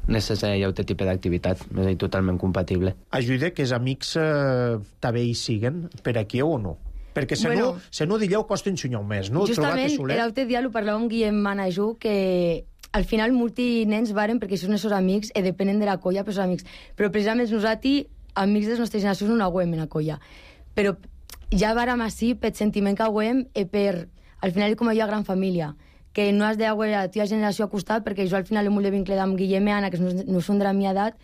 [SPEAKER 12] necessari altre tipus d'activitat, és totalment compatible.
[SPEAKER 1] Ajuda que els amics eh, també hi siguen per aquí o no? Perquè se bueno, no, se no dilleu costa ensenyar més, no?
[SPEAKER 11] Justament, l'altre dia ho parlàvem amb Guillem Manajú, que al final molti nens varen perquè són els seus amics i depenen de la colla per els amics. Però precisament nosaltres, amics de les nostres generacions, no aguem en la colla. Però ja vàrem així per sentiment que aguem i per, al final, com hi ha gran família, que no has d'aguer la teva generació a costat, perquè jo al final he molt de vincle amb Guillem i Anna, que no, no són de la meva edat,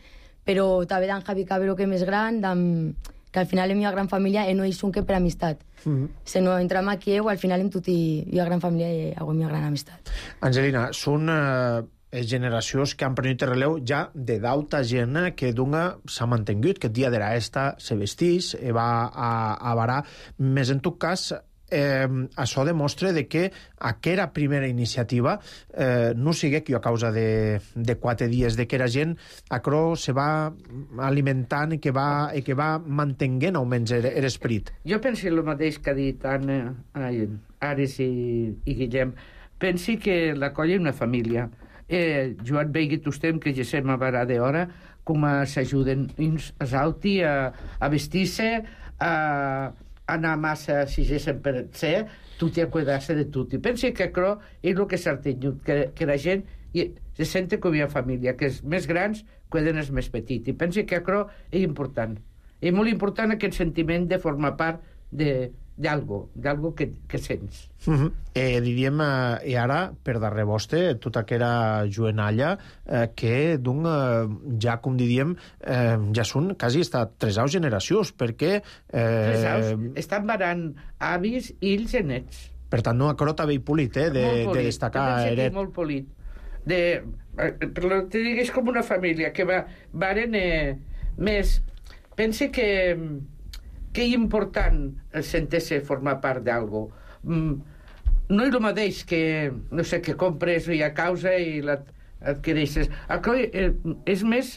[SPEAKER 11] però també d'en Javi Cabero, que és més gran, d'en que al final la meva gran família no és un que per amistat. Mm-hmm. Se no entram aquí, o al final en tot i la gran família i la meva gran amistat.
[SPEAKER 1] Angelina, són eh, generacions que han prenut el relleu ja de d'alta gent que d'una s'ha mantingut, que el dia de la esta se vestís, e va a, a varar, més en tot cas eh, això demostra de que aquella primera iniciativa eh, no sigui que a causa de, de quatre dies, de que la gent acro se va alimentant i que va, i que va mantenint almenys l'esperit.
[SPEAKER 8] Jo penso el mateix que ha dit Anna, ai, Ares i, i Guillem. Pensi que la colla és una família. Eh, Joan veigui tostem que ja sem a varar d'hora com s'ajuden uns als altres a, a vestir-se, a anar massa si gessin per ser, tot i a cuidar-se de tot. I pensi que això és el que s'ha tingut, que, que la gent i, se sente com una família, que els més grans cuiden els més petits. I pensi que això és important. És molt important aquest sentiment de formar part de d'algo, d'algo que, que sents.
[SPEAKER 1] Uh-huh. Eh, diríem, eh, i ara, per darrere vostre, tota aquella jovenalla eh, que d'un, eh, ja com diríem, eh, ja són quasi estat tres aus generacions, perquè... Eh,
[SPEAKER 8] tres aus? Estan varant avis, ills i nets.
[SPEAKER 1] Per tant, no, acrota bé i polit, eh, de, polit. de destacar...
[SPEAKER 8] Eret... Molt polit. De, per te dic, és com una família, que va, varen eh, més... Pense que... que és important sentir-se formar part d'algo. Mm, no és el mateix que, no sé, que compres i a causa i l'adquireixes. És més,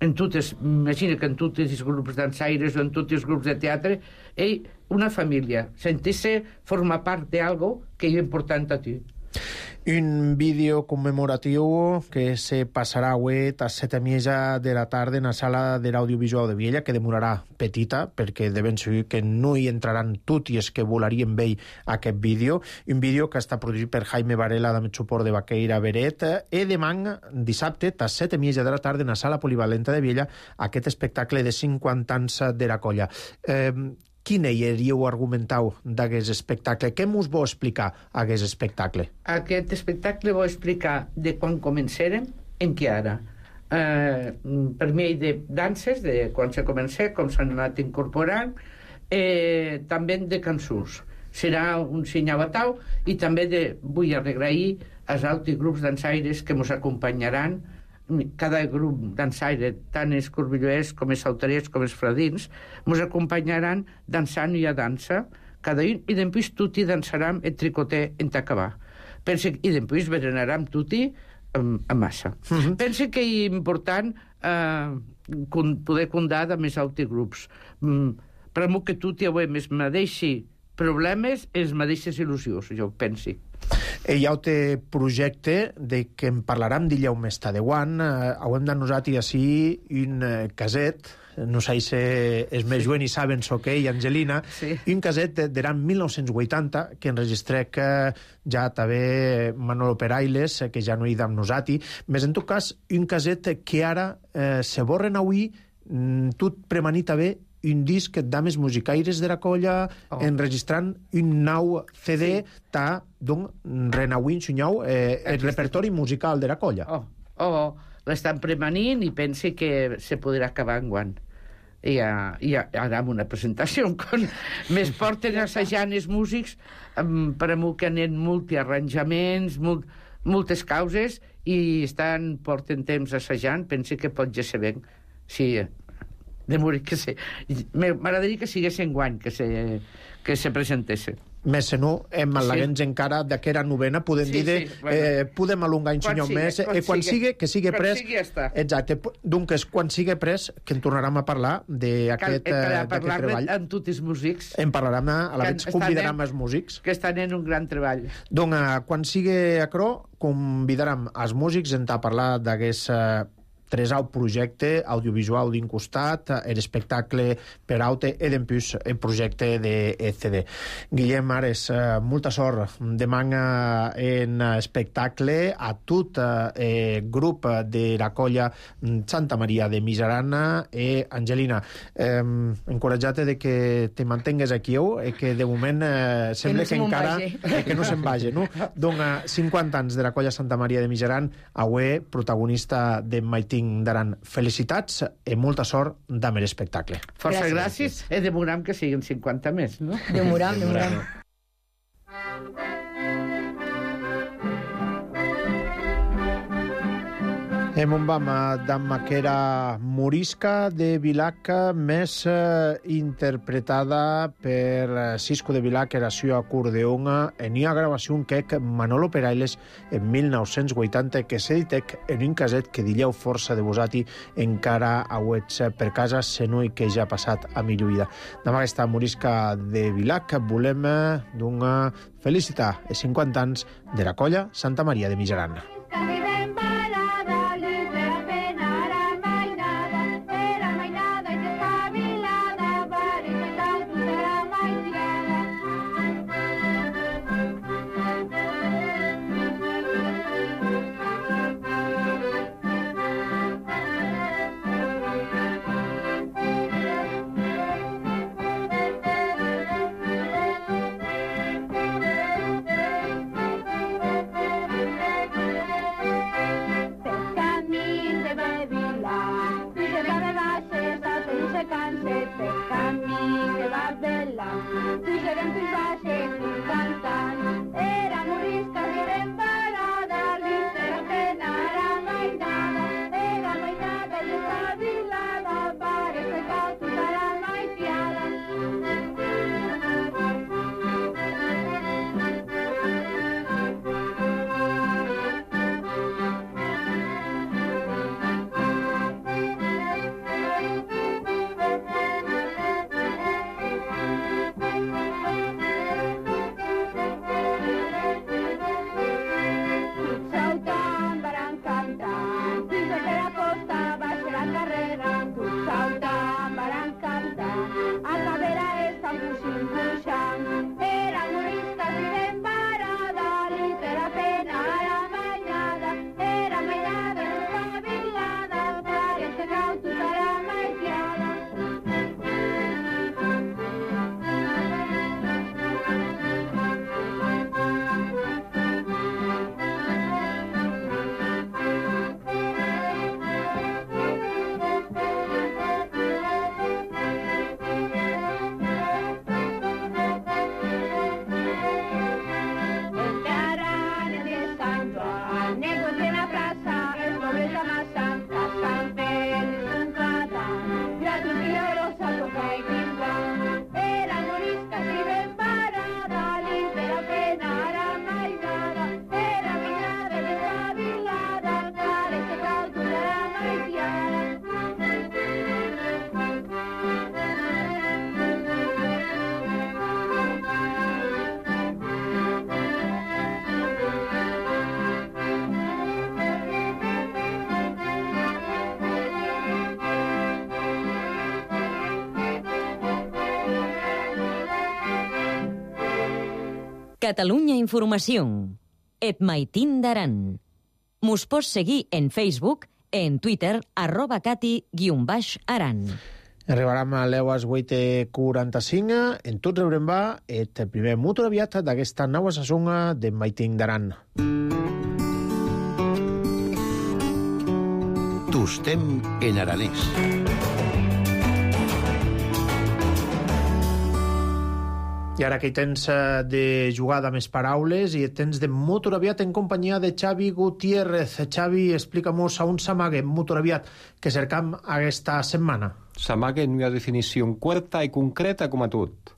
[SPEAKER 8] en totes, imagina que en tots els grups dansaires o en tots els grups de teatre, és una família. Sentir-se formar part d'algo que és important a ti.
[SPEAKER 1] Un vídeo commemoratiu que se passarà avui a set i mitja de la tarda en la sala de l'audiovisual de Viella, que demorarà petita, perquè de ben segur que no hi entraran tots els que volarien veure aquest vídeo. Un vídeo que està produït per Jaime Varela, amb el suport de Baqueira Beret, i demà, dissabte, a set i mitja de la tarda en la sala polivalenta de Viella, aquest espectacle de cinquanta anys de la colla. Eh, Quina hauríeu argumentau d'aquest espectacle? Què mos vol explicar aquest espectacle?
[SPEAKER 8] Aquest espectacle vol explicar de quan començarem en què ara. Eh, per mi de danses, de quan se comença, com s'han anat incorporant, eh, també de cançons. Serà un sinyabatau i també de, vull agrair als altres grups dansaires que ens acompanyaran. Cada grup dansaire, tant els corbilloers com els sautarers com els fradins, ens acompanyaran dansant i a dansa, cada un, i després tutti dansaram el tricoter en t'acabar. Pense, i després berenarem tutti a massa. Uh-huh. Pense que és important eh, poder comptar amb els altres grups. Mm, per a mi que tutti avui els mateixos problemes, els mateixes il·lusions, jo penso.
[SPEAKER 1] Hi ha un projecte de que en parlarem dillau més tardeuan. Eh, hem d'anosat i així un eh, caset, no sé si és més jovent i saben so que ell, Angelina, sí. Un caset de l'any mil nou-cents vuitanta que enregistrec eh, ja també Manolo Perailes, que ja no hi d'am nosati, més en tot cas un caset que ara eh, se borren avui, mm, tot premanit a bé un disc d'ames musicaires de la colla, oh. enregistrant un nou C D sí. ta, donc, renauint sunyau eh, el repertori musical de la colla.
[SPEAKER 8] Oh, oh, l'estan premanint i pensi que se podrà acabar enguany. I, uh, i ara amb una presentació quan més porten assajant els músics um, per a mi que anen multiarranjaments, molt, moltes causes i estan, porten temps assajant, pensi que pot ja ser ben. Sí, de morir que se... M'agradaria que sigués enguany, que se, que se presentessin.
[SPEAKER 1] Més se no, hem al·leguents sí. encara d'aquera novena, podem sí, dir de, sí, bueno. eh, podem alongar un senyor més, quan, eh, quan sigui, que sigui pres...
[SPEAKER 8] Sigui ja
[SPEAKER 1] exacte, doncs quan sigui pres, que en tornarem a parlar d'aquest treball.
[SPEAKER 8] Amb tots els músics.
[SPEAKER 1] En parlarem, a la vegada convidarem els músics.
[SPEAKER 8] Que estan en un gran treball.
[SPEAKER 1] Doncs eh, quan sigui acro, convidarem els músics en a parlar d'aquest... Eh, tresau projecte audiovisual d'un costat, l'espectacle per aute i d'empús el projecte de C D. Guillem Ares, eh, molta sort demà en espectacle a tot el grup de la colla Santa Maria de Miserana i Angelina. Eh, encoratjat de que te mantengues aquí i que de moment eh, sembla que, no que encara eh, que no se'n vagi, no? Doncs cinquanta anys de la colla Santa Maria de Miseran, avui protagonista de Mighty Maiting d'Aran. Felicitats i molta sort d'Amer espectacle.
[SPEAKER 8] Força gràcies, i demoram que siguin cinquanta més, no?
[SPEAKER 11] Demoram, demoram.
[SPEAKER 1] Hem un vam d'amma que era Morisca de Vilac, més eh, interpretada per Cisco de Vilac, era sua acordeon, en una gravació que Manolo Perailes en mil nou-cents vuitanta, que s'editec en un caset que dilleu força de vosati encara auets per casa, senui que ja ha passat a millor vida. Demà aquesta Morisca de Vilac volem donar felicitar els cinquanta anys de la colla Santa Maria de Mijaran.
[SPEAKER 2] Catalunya Informació. Et Maitin d'Aran. Mos pots seguir en Facebook, en Twitter, arroba cati guion baix aran.
[SPEAKER 1] Arribarem a l'eues vuit i quaranta-cinc. En tot rebrem va el primer motor aviat d'aquesta nova sassonga de Maitin d'Aran.
[SPEAKER 3] Tostem en aranès.
[SPEAKER 1] I ara que hi tens de jugada més paraules i tens de motor aviat en companyia de Xavi Gutiérrez. Xavi, explica-mos a un s'amague motor aviat que cercam aquesta setmana.
[SPEAKER 13] S'amague en una definició curta i concreta com a tot.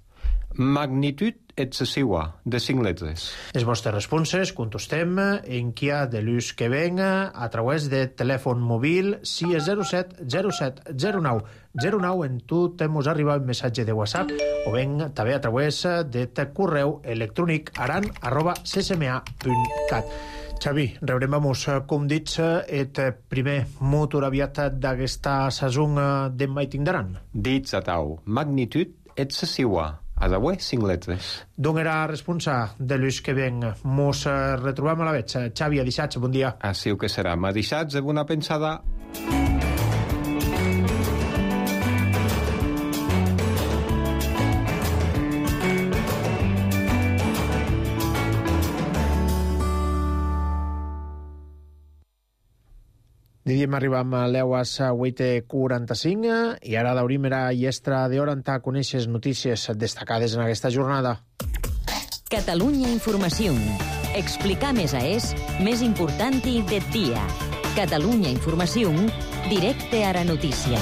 [SPEAKER 13] Magnitud excessiva, de cinc lletres.
[SPEAKER 1] Les vostres responses contestem en qui ha de l'ús que venga a través de telèfon mòbil sis zero set zero set zero nou zero nou. En tu t'hemos arribat un missatge de WhatsApp o ben també a través de correu electrònic aran arroba c s m a punt cat. Xavi, rebrem vamos, com dits, el primer motor aviat d'aquesta sason de Maitin d'Aran.
[SPEAKER 13] Dits a tau, magnitud excessiva. A d'avui, cinc lletres.
[SPEAKER 1] D'on era responsa de l'ús que ven? Mos retrobam a la veig. Xavi, a dissats, bon dia.
[SPEAKER 13] Així que serà. A dissats, de bona pensada.
[SPEAKER 1] Diem arribam a l'eues vuit i quaranta-cinc i ara d'obrim era llestra d'hora en ta coneixes notícies destacades en aquesta jornada.
[SPEAKER 2] Catalunya Informació. Explicar més a és més important i de dia. Catalunya Informació, directe a la notícia.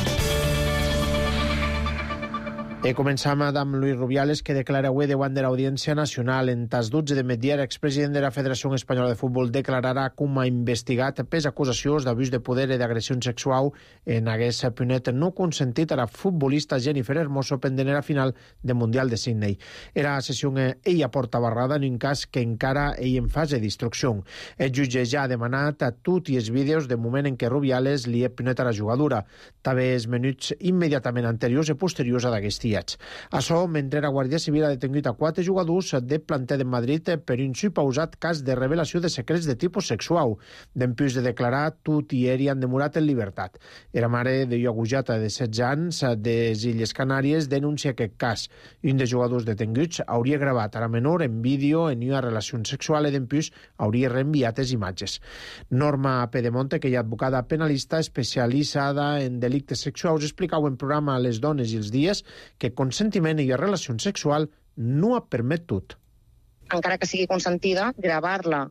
[SPEAKER 1] E començam amb Luis Rubiales, que declara avui davant de l'Audiència Nacional. En tas dotze de migdia, l'expresident de la Federació Espanyola de Futbol declararà com ha investigat pes acusacions d'abús de poder i d'agressió sexual en hagués punet no consentit a la futbolista Jennifer Hermoso pendent la final del Mundial de Sydney. Era sessió ella porta barrada en un cas que encara ell en fase d'instrucció. El jutge ja ha demanat a tots els vídeos de moment en què Rubiales li ha punet a la jugadora, també els minuts immediatament anteriors i posteriors a d'aquest Això, mentre la Guàrdia Civil ha detengut a quatre jugadors de planter de Madrid per un suposat cas de revelació de secrets de tipus sexual. Dempús de declarar, tot i ell han demorat en llibertat. Era mare de Iogujata, de setze anys, de les Illes Canàries, denuncia aquest cas. Un dels jugadors detenguts hauria gravat a la menor en vídeo en una relació sexual i dempús hauria reenviat les imatges. Norma Pedemonte, que hi ha advocada penalista especialitzada en delictes sexuals, explicava en programa Les dones i els dies que consentiment i relació sexual no ha permet tot.
[SPEAKER 14] Encara que sigui consentida, gravar-la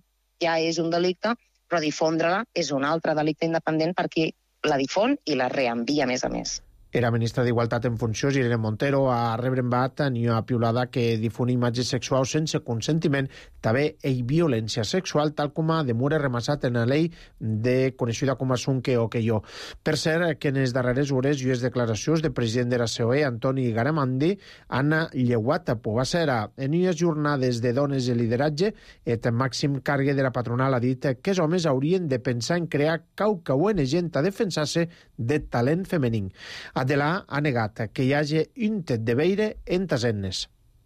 [SPEAKER 14] ja és un delicte, però difondre-la és un altre delicte independent per qui la difon i la reenvia a més a més.
[SPEAKER 1] Era ministra d'Igualtat en funcions, Irene Montero, a rebre en bat ni una piulada que difon imatges sexuals sense consentiment, també i violència sexual, tal com a demora remassat en la llei de coneixida com a Sunque o que jo. Per cert, que en les darreres hores i les declaracions del president de la C O E, Antoni Garamendi, han lleuat a Povacera. En unes jornades de dones i lideratge, el màxim càrrec de la patronal ha dit que els homes haurien de pensar en crear cauca O N G a defensar-se de talent femení. Adela ha negat que hi hagi un tet de veire en tasennes.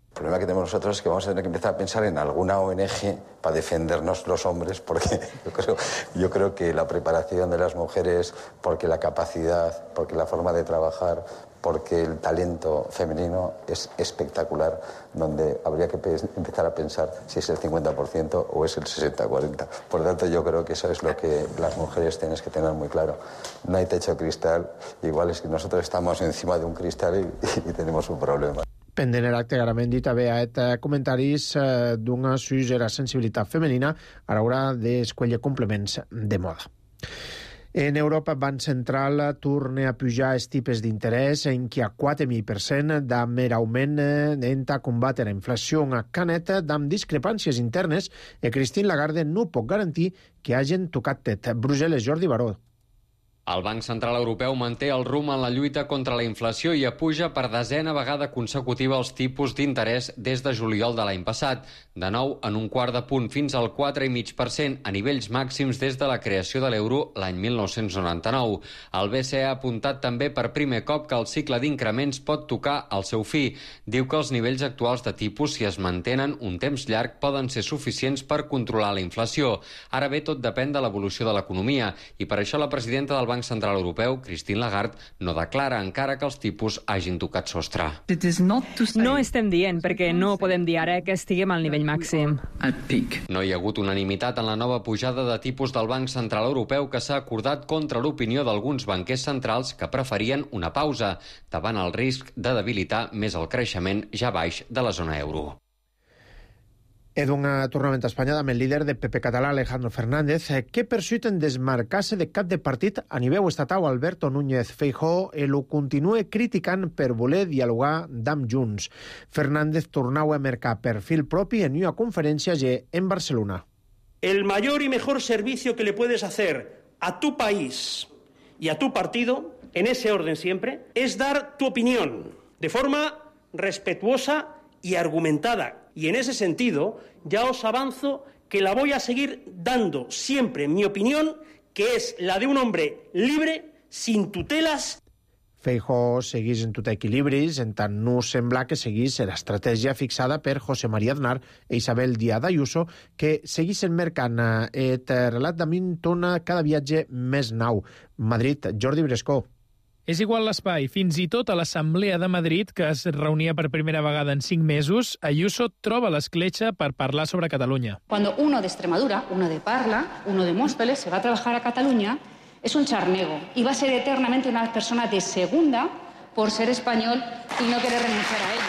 [SPEAKER 15] El problema que tenemos nosotros es que vamos a tener que empezar a pensar en alguna O N G para defendernos los hombres, porque yo creo, yo creo que la preparación de las mujeres, porque la capacidad, porque la forma de trabajar, porque el talento femenino es espectacular, donde habría que empezar a pensar si es el cincuenta por ciento o es el sesenta cuarenta. Por lo tanto, yo creo que eso es lo que las mujeres tienen que tener muy claro. No hay techo de cristal, igual es que nosotros estamos encima de un cristal y, y tenemos un problema.
[SPEAKER 1] Pendent l'acte, Garamendi també ha fet comentaris d'una susera sensibilitat femenina a l'hora d'escollir complements de moda. En Europa, Banc Central torna a pujar els tipus d'interès en què a quatre mil per cent de mer augment en a combatre la inflació a Canet amb discrepàncies internes i Christine Lagarde no pot garantir que hagin tocat tet. Brussel·les, Jordi Baró.
[SPEAKER 16] El Banc Central Europeu manté el rumb en la lluita contra la inflació i apuja per desena vegada consecutiva els tipus d'interès des de juliol de l'any passat, de nou en un quart de punt fins al quatre coma cinc per cent, a nivells màxims des de la creació de l'euro l'any mil nou-cents noranta-nou. El B C E ha apuntat també per primer cop que el cicle d'increments pot tocar el seu fi. Diu que els nivells actuals de tipus, si es mantenen un temps llarg, poden ser suficients per controlar la inflació. Ara bé, tot depèn de l'evolució de l'economia i per això la presidenta del Banc Central Europeu, Christine Lagarde, no declara encara que els tipus hagin tocat sostre.
[SPEAKER 17] No estem dient, perquè no podem dir ara que estiguem al nivell màxim.
[SPEAKER 16] No hi ha hagut unanimitat en la nova pujada de tipus del Banc Central Europeu que s'ha acordat contra l'opinió d'alguns banquers centrals que preferien una pausa davant el risc de debilitar més el creixement ja baix de la zona euro.
[SPEAKER 1] És un tornament a Espanya amb el líder de P P català, Alejandro Fernández, que persut en desmarcar-se de cap de partit a nivell estatal. Alberto Núñez Feijóo el continua criticant per voler dialogar amb Junts. Fernández tornau a marcar perfil propi en una conferència en Barcelona.
[SPEAKER 18] El mayor y mejor servicio que le puedes hacer a tu país y a tu partido, en ese orden siempre, es dar tu opinión de forma respetuosa y argumentada. Y en ese sentido, ya os avanzo que la voy a seguir dando siempre mi opinión, que es la de un hombre libre, sin tutelas.
[SPEAKER 1] Feijóo seguís en tot equilibris, en tant no sembla que seguís l'estratègia fixada per José María Aznar i Isabel Díaz Ayuso, que seguissin mercant el relat d'Amin tona cada viatge més nou. Madrid, Jordi Brescó.
[SPEAKER 19] És igual l'espai. Fins i tot a l'Assemblea de Madrid, que es reunia per primera vegada en cinc mesos, Ayuso troba l'escletxa per parlar sobre Catalunya.
[SPEAKER 20] Cuando uno de Extremadura, uno de Parla, uno de Móstoles se va a trabajar a Cataluña, Es un charnego y va a ser eternamente una persona de segunda por ser español y no querer renunciar a ello.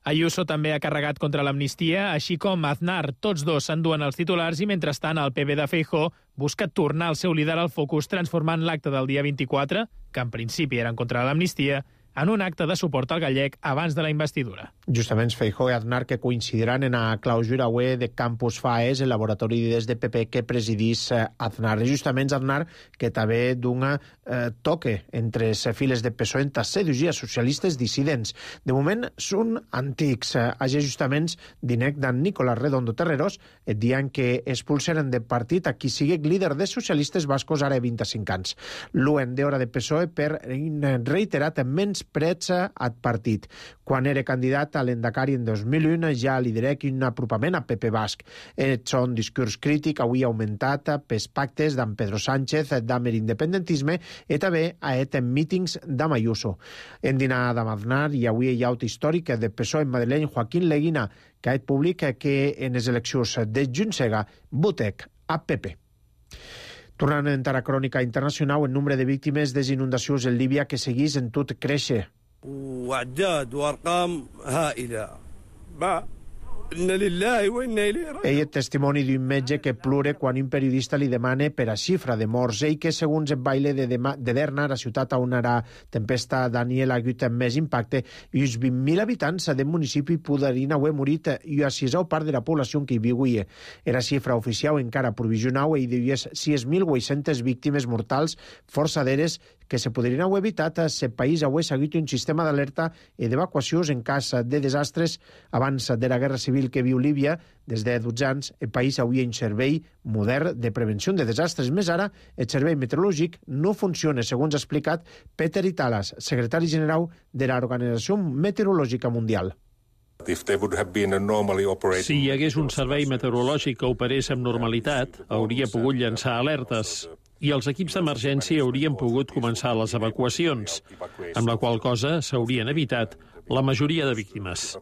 [SPEAKER 19] Ayuso també ha carregat contra l'amnistia, així com Aznar. Tots dos s'enduen els titulars i, mentrestant, el P B de Feijóo busca tornar el seu líder al focus transformant l'acte del dia vint-i-quatre, que en principi era en contra de l'amnistia, en un acte de suport al gallec abans de la investidura.
[SPEAKER 1] Justament Feijóo i Aznar que coincidiran en la clausura web de Campus Faes, el laboratori d'idees de P P que presidís Aznar. I justament Aznar que també dona eh, toque entre les files de P S O E en seduir socialistes dissidents. De moment són antics. Així justament dinec d'en Nicolás Redondo Terreros et diuen que expulsaren de partit a qui sigui líder de socialistes bascos ara vint-i-cinc anys. L'uen d'hora de P S O E per reiterat menys prets al partit. Quan era candidat a l'Endacari en dos mil un ja liderec un apropament a P P Basc. Et son discurs crític avui augmentat pels pactes d'en Pedro Sánchez d'Amer independentisme i també a et en mítings d'en Ayuso. En dinar d'en Aznar i avui hi ha un històric de P S O E en madrileny Joaquín Leguina que ha publicat que en les eleccions de Junsega votec a P P. Tornant a entrar a crònica internacional, el nombre de víctimes de les inundacions en Líbia que seguís en tot créixer. Ell és testimoni d'un metge que plora quan un periodista li demana per a xifra de morts i que, segons el baile de, de Derna, la ciutat on la tempesta Daniel ha hagut més impacte, i uns vint mil habitants del municipi podrien haver morit i a sisau part de la població que hi viuia. Era xifra oficial encara provisional i diués sis mil vuit-centes víctimes mortals forçaderes que se podrien haver evitat si el país hagués seguit un sistema d'alerta i d'evacuacions en cas de desastres. Abans de la guerra civil que viu Líbia, des de dotze anys, el país havia un servei modern de prevenció de desastres. Més ara, el servei meteorològic no funciona, segons ha explicat Peter Italas, secretari general de l'Organització Meteorològica Mundial.
[SPEAKER 21] Si hi hagués un servei meteorològic que operés amb normalitat, hauria pogut llançar alertes i els equips d'emergència haurien pogut començar les evacuacions, amb la qual cosa s'haurien evitat la majoria de víctimes.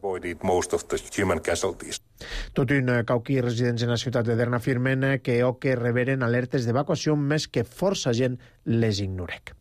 [SPEAKER 1] Tot un cauquí residents en la ciutat de Derna afirmen que o que reberen alertes d'evacuació més que força gent les ignorec.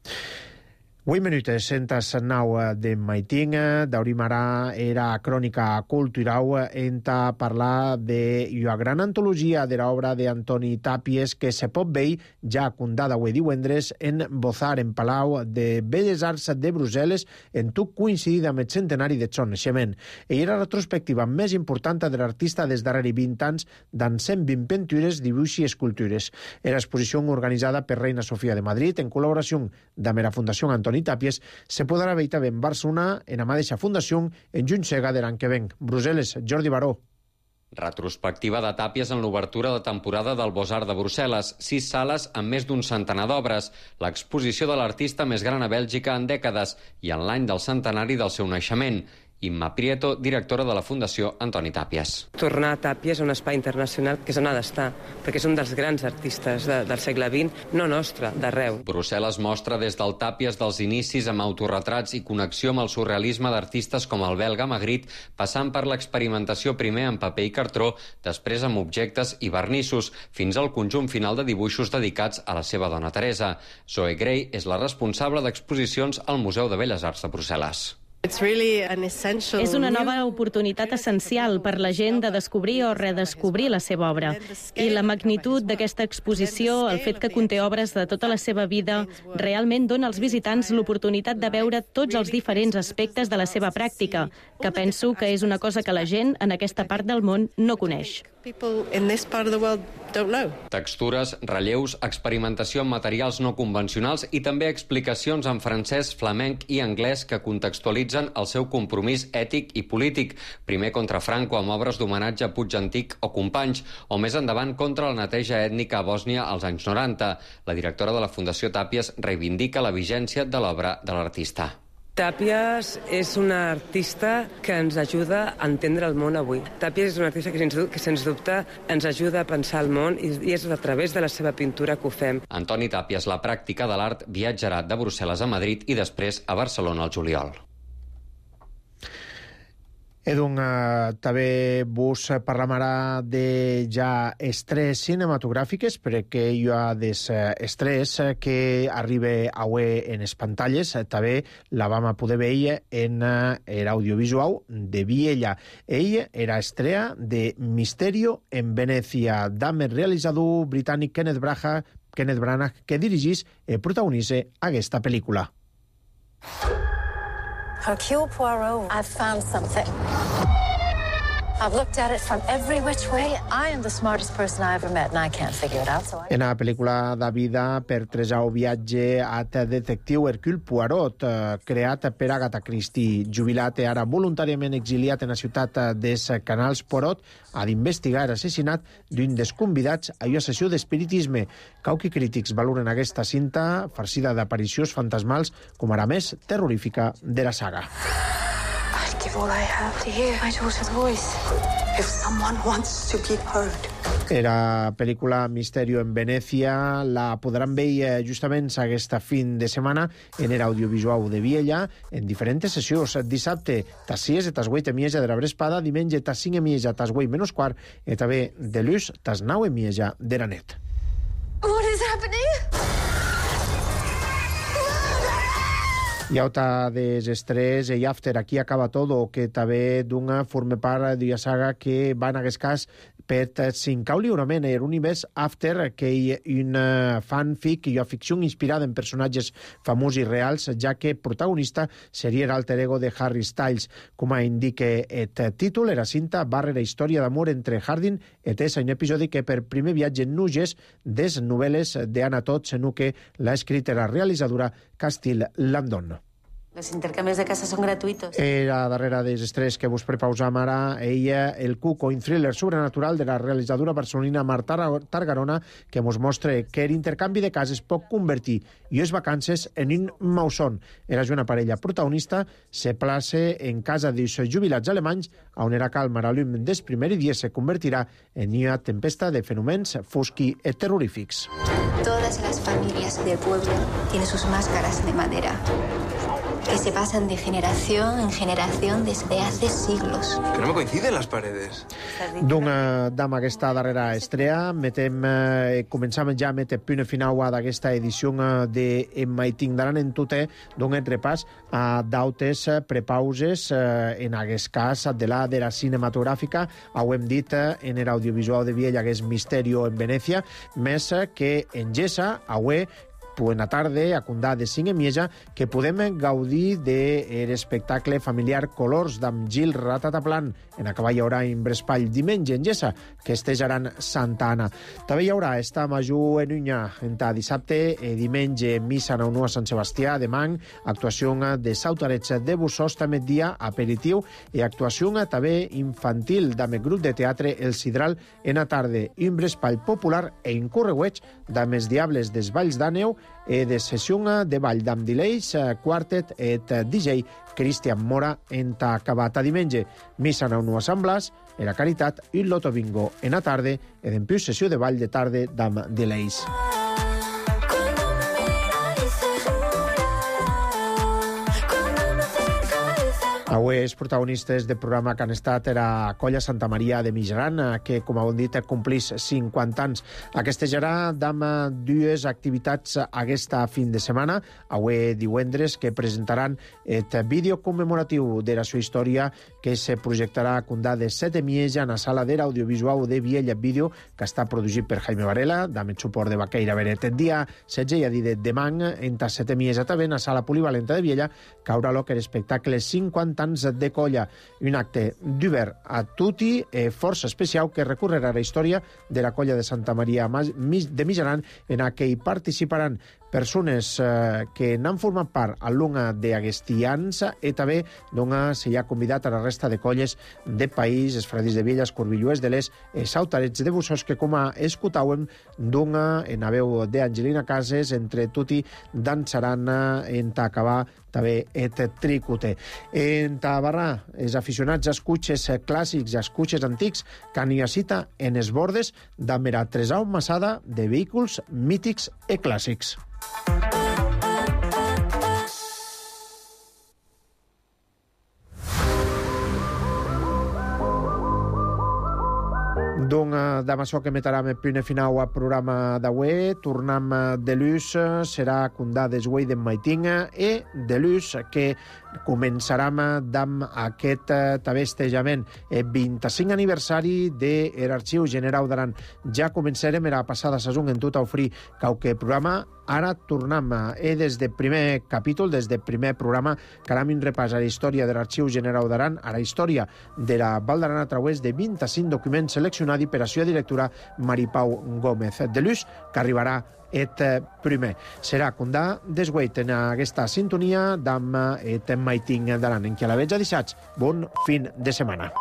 [SPEAKER 1] Vuit minutes sentas nau de Maiting, d'Aurim ara era crònica cultural enta parlar de la gran antologia de l'obra d'Antoni Tàpies que se pot veure ja condada avui divendres en Bozar, en Palau de Belles Arts de Brussel·les, en tot coincidit amb el centenari de son naixement. I era la retrospectiva més important de l'artista des darrere vint anys d'en cent vint pintures, dibuix i escultures. Era exposició organitzada per Reina Sofia de Madrid en col·laboració amb la Fundació Antoni Tàpies, se podrà veure també en Barcelona, en la mateixa fundació, en Junsega de l'any que ven. Brussel·les, Jordi Baró.
[SPEAKER 16] Retrospectiva de Tàpies en l'obertura de temporada del Beaux-Arts de Brussel·les. Sis sales amb més d'un centenar d'obres. L'exposició de l'artista més gran a Bèlgica en dècades i en l'any del centenari del seu naixement. Imma Prieto, directora de la Fundació Antoni Tàpies.
[SPEAKER 22] Tornar a Tàpies a un espai internacional que és on ha d'estar, perquè és un dels grans artistes de, del segle vint, no nostre, d'arreu.
[SPEAKER 16] Brussel·les mostra des del Tàpies dels inicis amb autorretrats i connexió amb el surrealisme d'artistes com el belga Magritte, passant per l'experimentació primer en paper i cartró, després amb objectes i vernissos, fins al conjunt final de dibuixos dedicats a la seva dona Teresa. Zoe Gray és la responsable d'exposicions al Museu de Belles Arts de Brussel·les.
[SPEAKER 6] És una nova oportunitat essencial per la gent de descobrir o redescobrir la seva obra. I la magnitud d'aquesta exposició, el fet que conté obres de tota la seva vida, realment dona als visitants l'oportunitat de veure tots els diferents aspectes de la seva pràctica, que penso que és una cosa que la gent en aquesta part del món no coneix.
[SPEAKER 16] Textures, relleus, experimentació amb materials no convencionals i també explicacions en francès, flamenc i anglès que contextualitzen el seu compromís ètic i polític, primer contra Franco amb obres d'homenatge a Puig Antic o Companys, o més endavant contra la neteja ètnica a Bòsnia als anys noranta. La directora de la Fundació Tàpies reivindica la vigència de l'obra de l'artista.
[SPEAKER 22] Tàpies és una artista que ens ajuda a entendre el món avui. Tàpies és una artista que, sens, que sens dubte ens ajuda a pensar el món i, i és a través de la seva pintura que ho fem.
[SPEAKER 16] Antoni Tàpies, la pràctica de l'art, viatjarà de Brussel·les a Madrid i després a Barcelona al juliol.
[SPEAKER 1] Edun, uh, també vos parlarà de ja estrès cinematogràfiques, perquè hi ha des estrès que arriba avui en les pantalles. També la vam poder veure en l'audiovisual de Viella. Ell era estrella de Misterio en Venècia, amb el realitzador britànic Kenneth Branagh, Kenneth Branagh, que dirigís i protagonitza aquesta pel·lícula.
[SPEAKER 4] Hercule Poirot, I've found something. I've looked at it from every which way. I am the smartest person I ever met, and I can't figure it out. So I...
[SPEAKER 1] En la pel·lícula de vida per tresau viatge at detectiu Hercule Poirot, eh, creat per Agatha Christie, jubilat i ara voluntàriament exiliat en la ciutat des Canals Poirot, ha d'investigar l'assassinat d'un dels convidats a una sessió d'espiritisme. Cauqui crítics valoren aquesta cinta farcida d'aparicions fantasmals com ara més terrorífica de la saga.
[SPEAKER 4] I'd give all I have to hear my daughter's voice. If someone wants to be heard.
[SPEAKER 1] Era pel·lícula Misterio en Venècia la podran veure justament aquesta fin de setmana en l'audiovisual de Viella en diferents sessions. Dissabte, tas sis i tas vuit i mitja de la vesprada, diumenge, tas cinc i mitja, tas vuit menys quart, i també de l'ús, tas nou i mitja de la nit.
[SPEAKER 4] What is happening?
[SPEAKER 1] Hi ha alta desestrès i after aquí acaba todo, que també d'una forma part d'una saga que va en aquest cas per cincar lliurament en univers after, que hi ha una fanfic i una ficció inspirada en personatges famosos i reals, ja que protagonista seria l'alter ego de Harry Styles. Com indica el títol, la cinta barra la història d'amor entre Hardin i Tessa, un episodi que per primer viatge en nuges des novel·les d'Anna Todd, senu que l'ha escrit la realitzadora Castile Landon.
[SPEAKER 4] Los intercambios de casa son gratuitos.
[SPEAKER 1] Era darrere dels estrès que vos prepausam ara, ella, el Cuco, un thriller sobrenatural de la realitzadora barcelonina Marta Targarona, que mos mostra que l'intercanvi de cases pot convertir llues vacances en un mausón. Era una parella protagonista, se place en casa dels jubilats alemanys, on era calma la llum des primer dia se convertirà en una tempesta de fenòmens fosqui i terrorífics.
[SPEAKER 5] Todas las familias del pueblo tienen sus máscaras de madera, que se pasan de generación en generación desde hace siglos.
[SPEAKER 23] Que no me coinciden las paredes.
[SPEAKER 1] Doncs, amb aquesta darrera estrella, metem, eh, començam ja a metre punt final d'aquesta edició de En Maitindaran en Tuté, d'un repàs a dautes prepauses, eh, en aquest cas de la de la cinematogràfica, ho hem dit eh, en l'audiovisual de Viella, que és Misterio en Venècia, més que en Gessa, avui, buena tarde, a condar de cinc i mitja, que podem gaudir de l'espectacle familiar Colors d'amb Gil Ratataplan en acabar hi haurà en Brespall diumenge en Gessa, que estejaran Santa Anna. També hi haurà esta major en Unyà, entre dissabte i diumenge missa en a Sant Sebastià de Mang, actuació de Sautarets de Bussos, també dia aperitiu i actuació també infantil amb el grup de teatre El Sidral en la tarda, un Brespall popular e incorregueig d'amb els Diables des Valls d'Àneu e de sessió de ball d'Am Dileis, quartet et D J Cristian Mora en ta acabat a diumenge. Missa en un Blas, en la Caritat i el Loto Bingo en la tarda e d'empiu sessió de ball de tarda d'Am Dileis. Avui els protagonistes del programa que han estat era Colla Santa Maria de Mijaran, que, com heu dit, complís cinquanta anys. Festejarà amb dues activitats aquesta fin de setmana. Avui divendres, que presentaran el vídeo commemoratiu de la seva història, que se projectarà a condar de set i mitja en la sala de l'audiovisual de Viella Vídeo, que està produït per Jaime Varela, amb el suport de Baqueira Beret. El dia setze i a dir de demà, entre set i mitja també, en la sala polivalenta de Viella, caurà l'oque l'espectacle cinquanta anys de Colla, un acte d'obert a tutti e força especial que recorrerà a la història de la Colla de Santa Maria de Mijaran, en què hi participaran persones eh, que n'han format part a l'una d'agestians i també doncs, s'hi ha convidat a la resta de colles de país, els Fredis de Viella, els Corbilluers de l'Est, els Sautarets de Bussos, que com a escoltàvem d'una en la veu d'Angelina Cases, entre tutti dansaran en acabar també et tricute. En Tabarrà, els aficionats als cotxes clàssics i als cotxes antics que han una cita en els bordes d'amb la tresau massada de vehicles mítics i clàssics. Donc, damb açò que metaram el punt final al programa d'avui, tornam de l'ús, serà condà desguei d'en Maitinga e de l'ús que començaram damb aquest tavestejament el vint-i-cinc aniversari de l'Arxiu Generau d'Aran. Ja començarem era passada saison en tot ofrir qualque programa. Ara tornam e des del primer capítol, des del primer programa, que anem un repàs a la història de l'Arxiu Generau d'Aran, a la història de la Val d'Aran a través de vint-i-cinc documents seleccionats per la seva directora Maripau Gómez. De l'ús que arribarà et primer. Serà condà desgueit en aquesta sintonia d'am et Maiting d'Aran, en qui a la veig a dissats. Bon fin de setmana.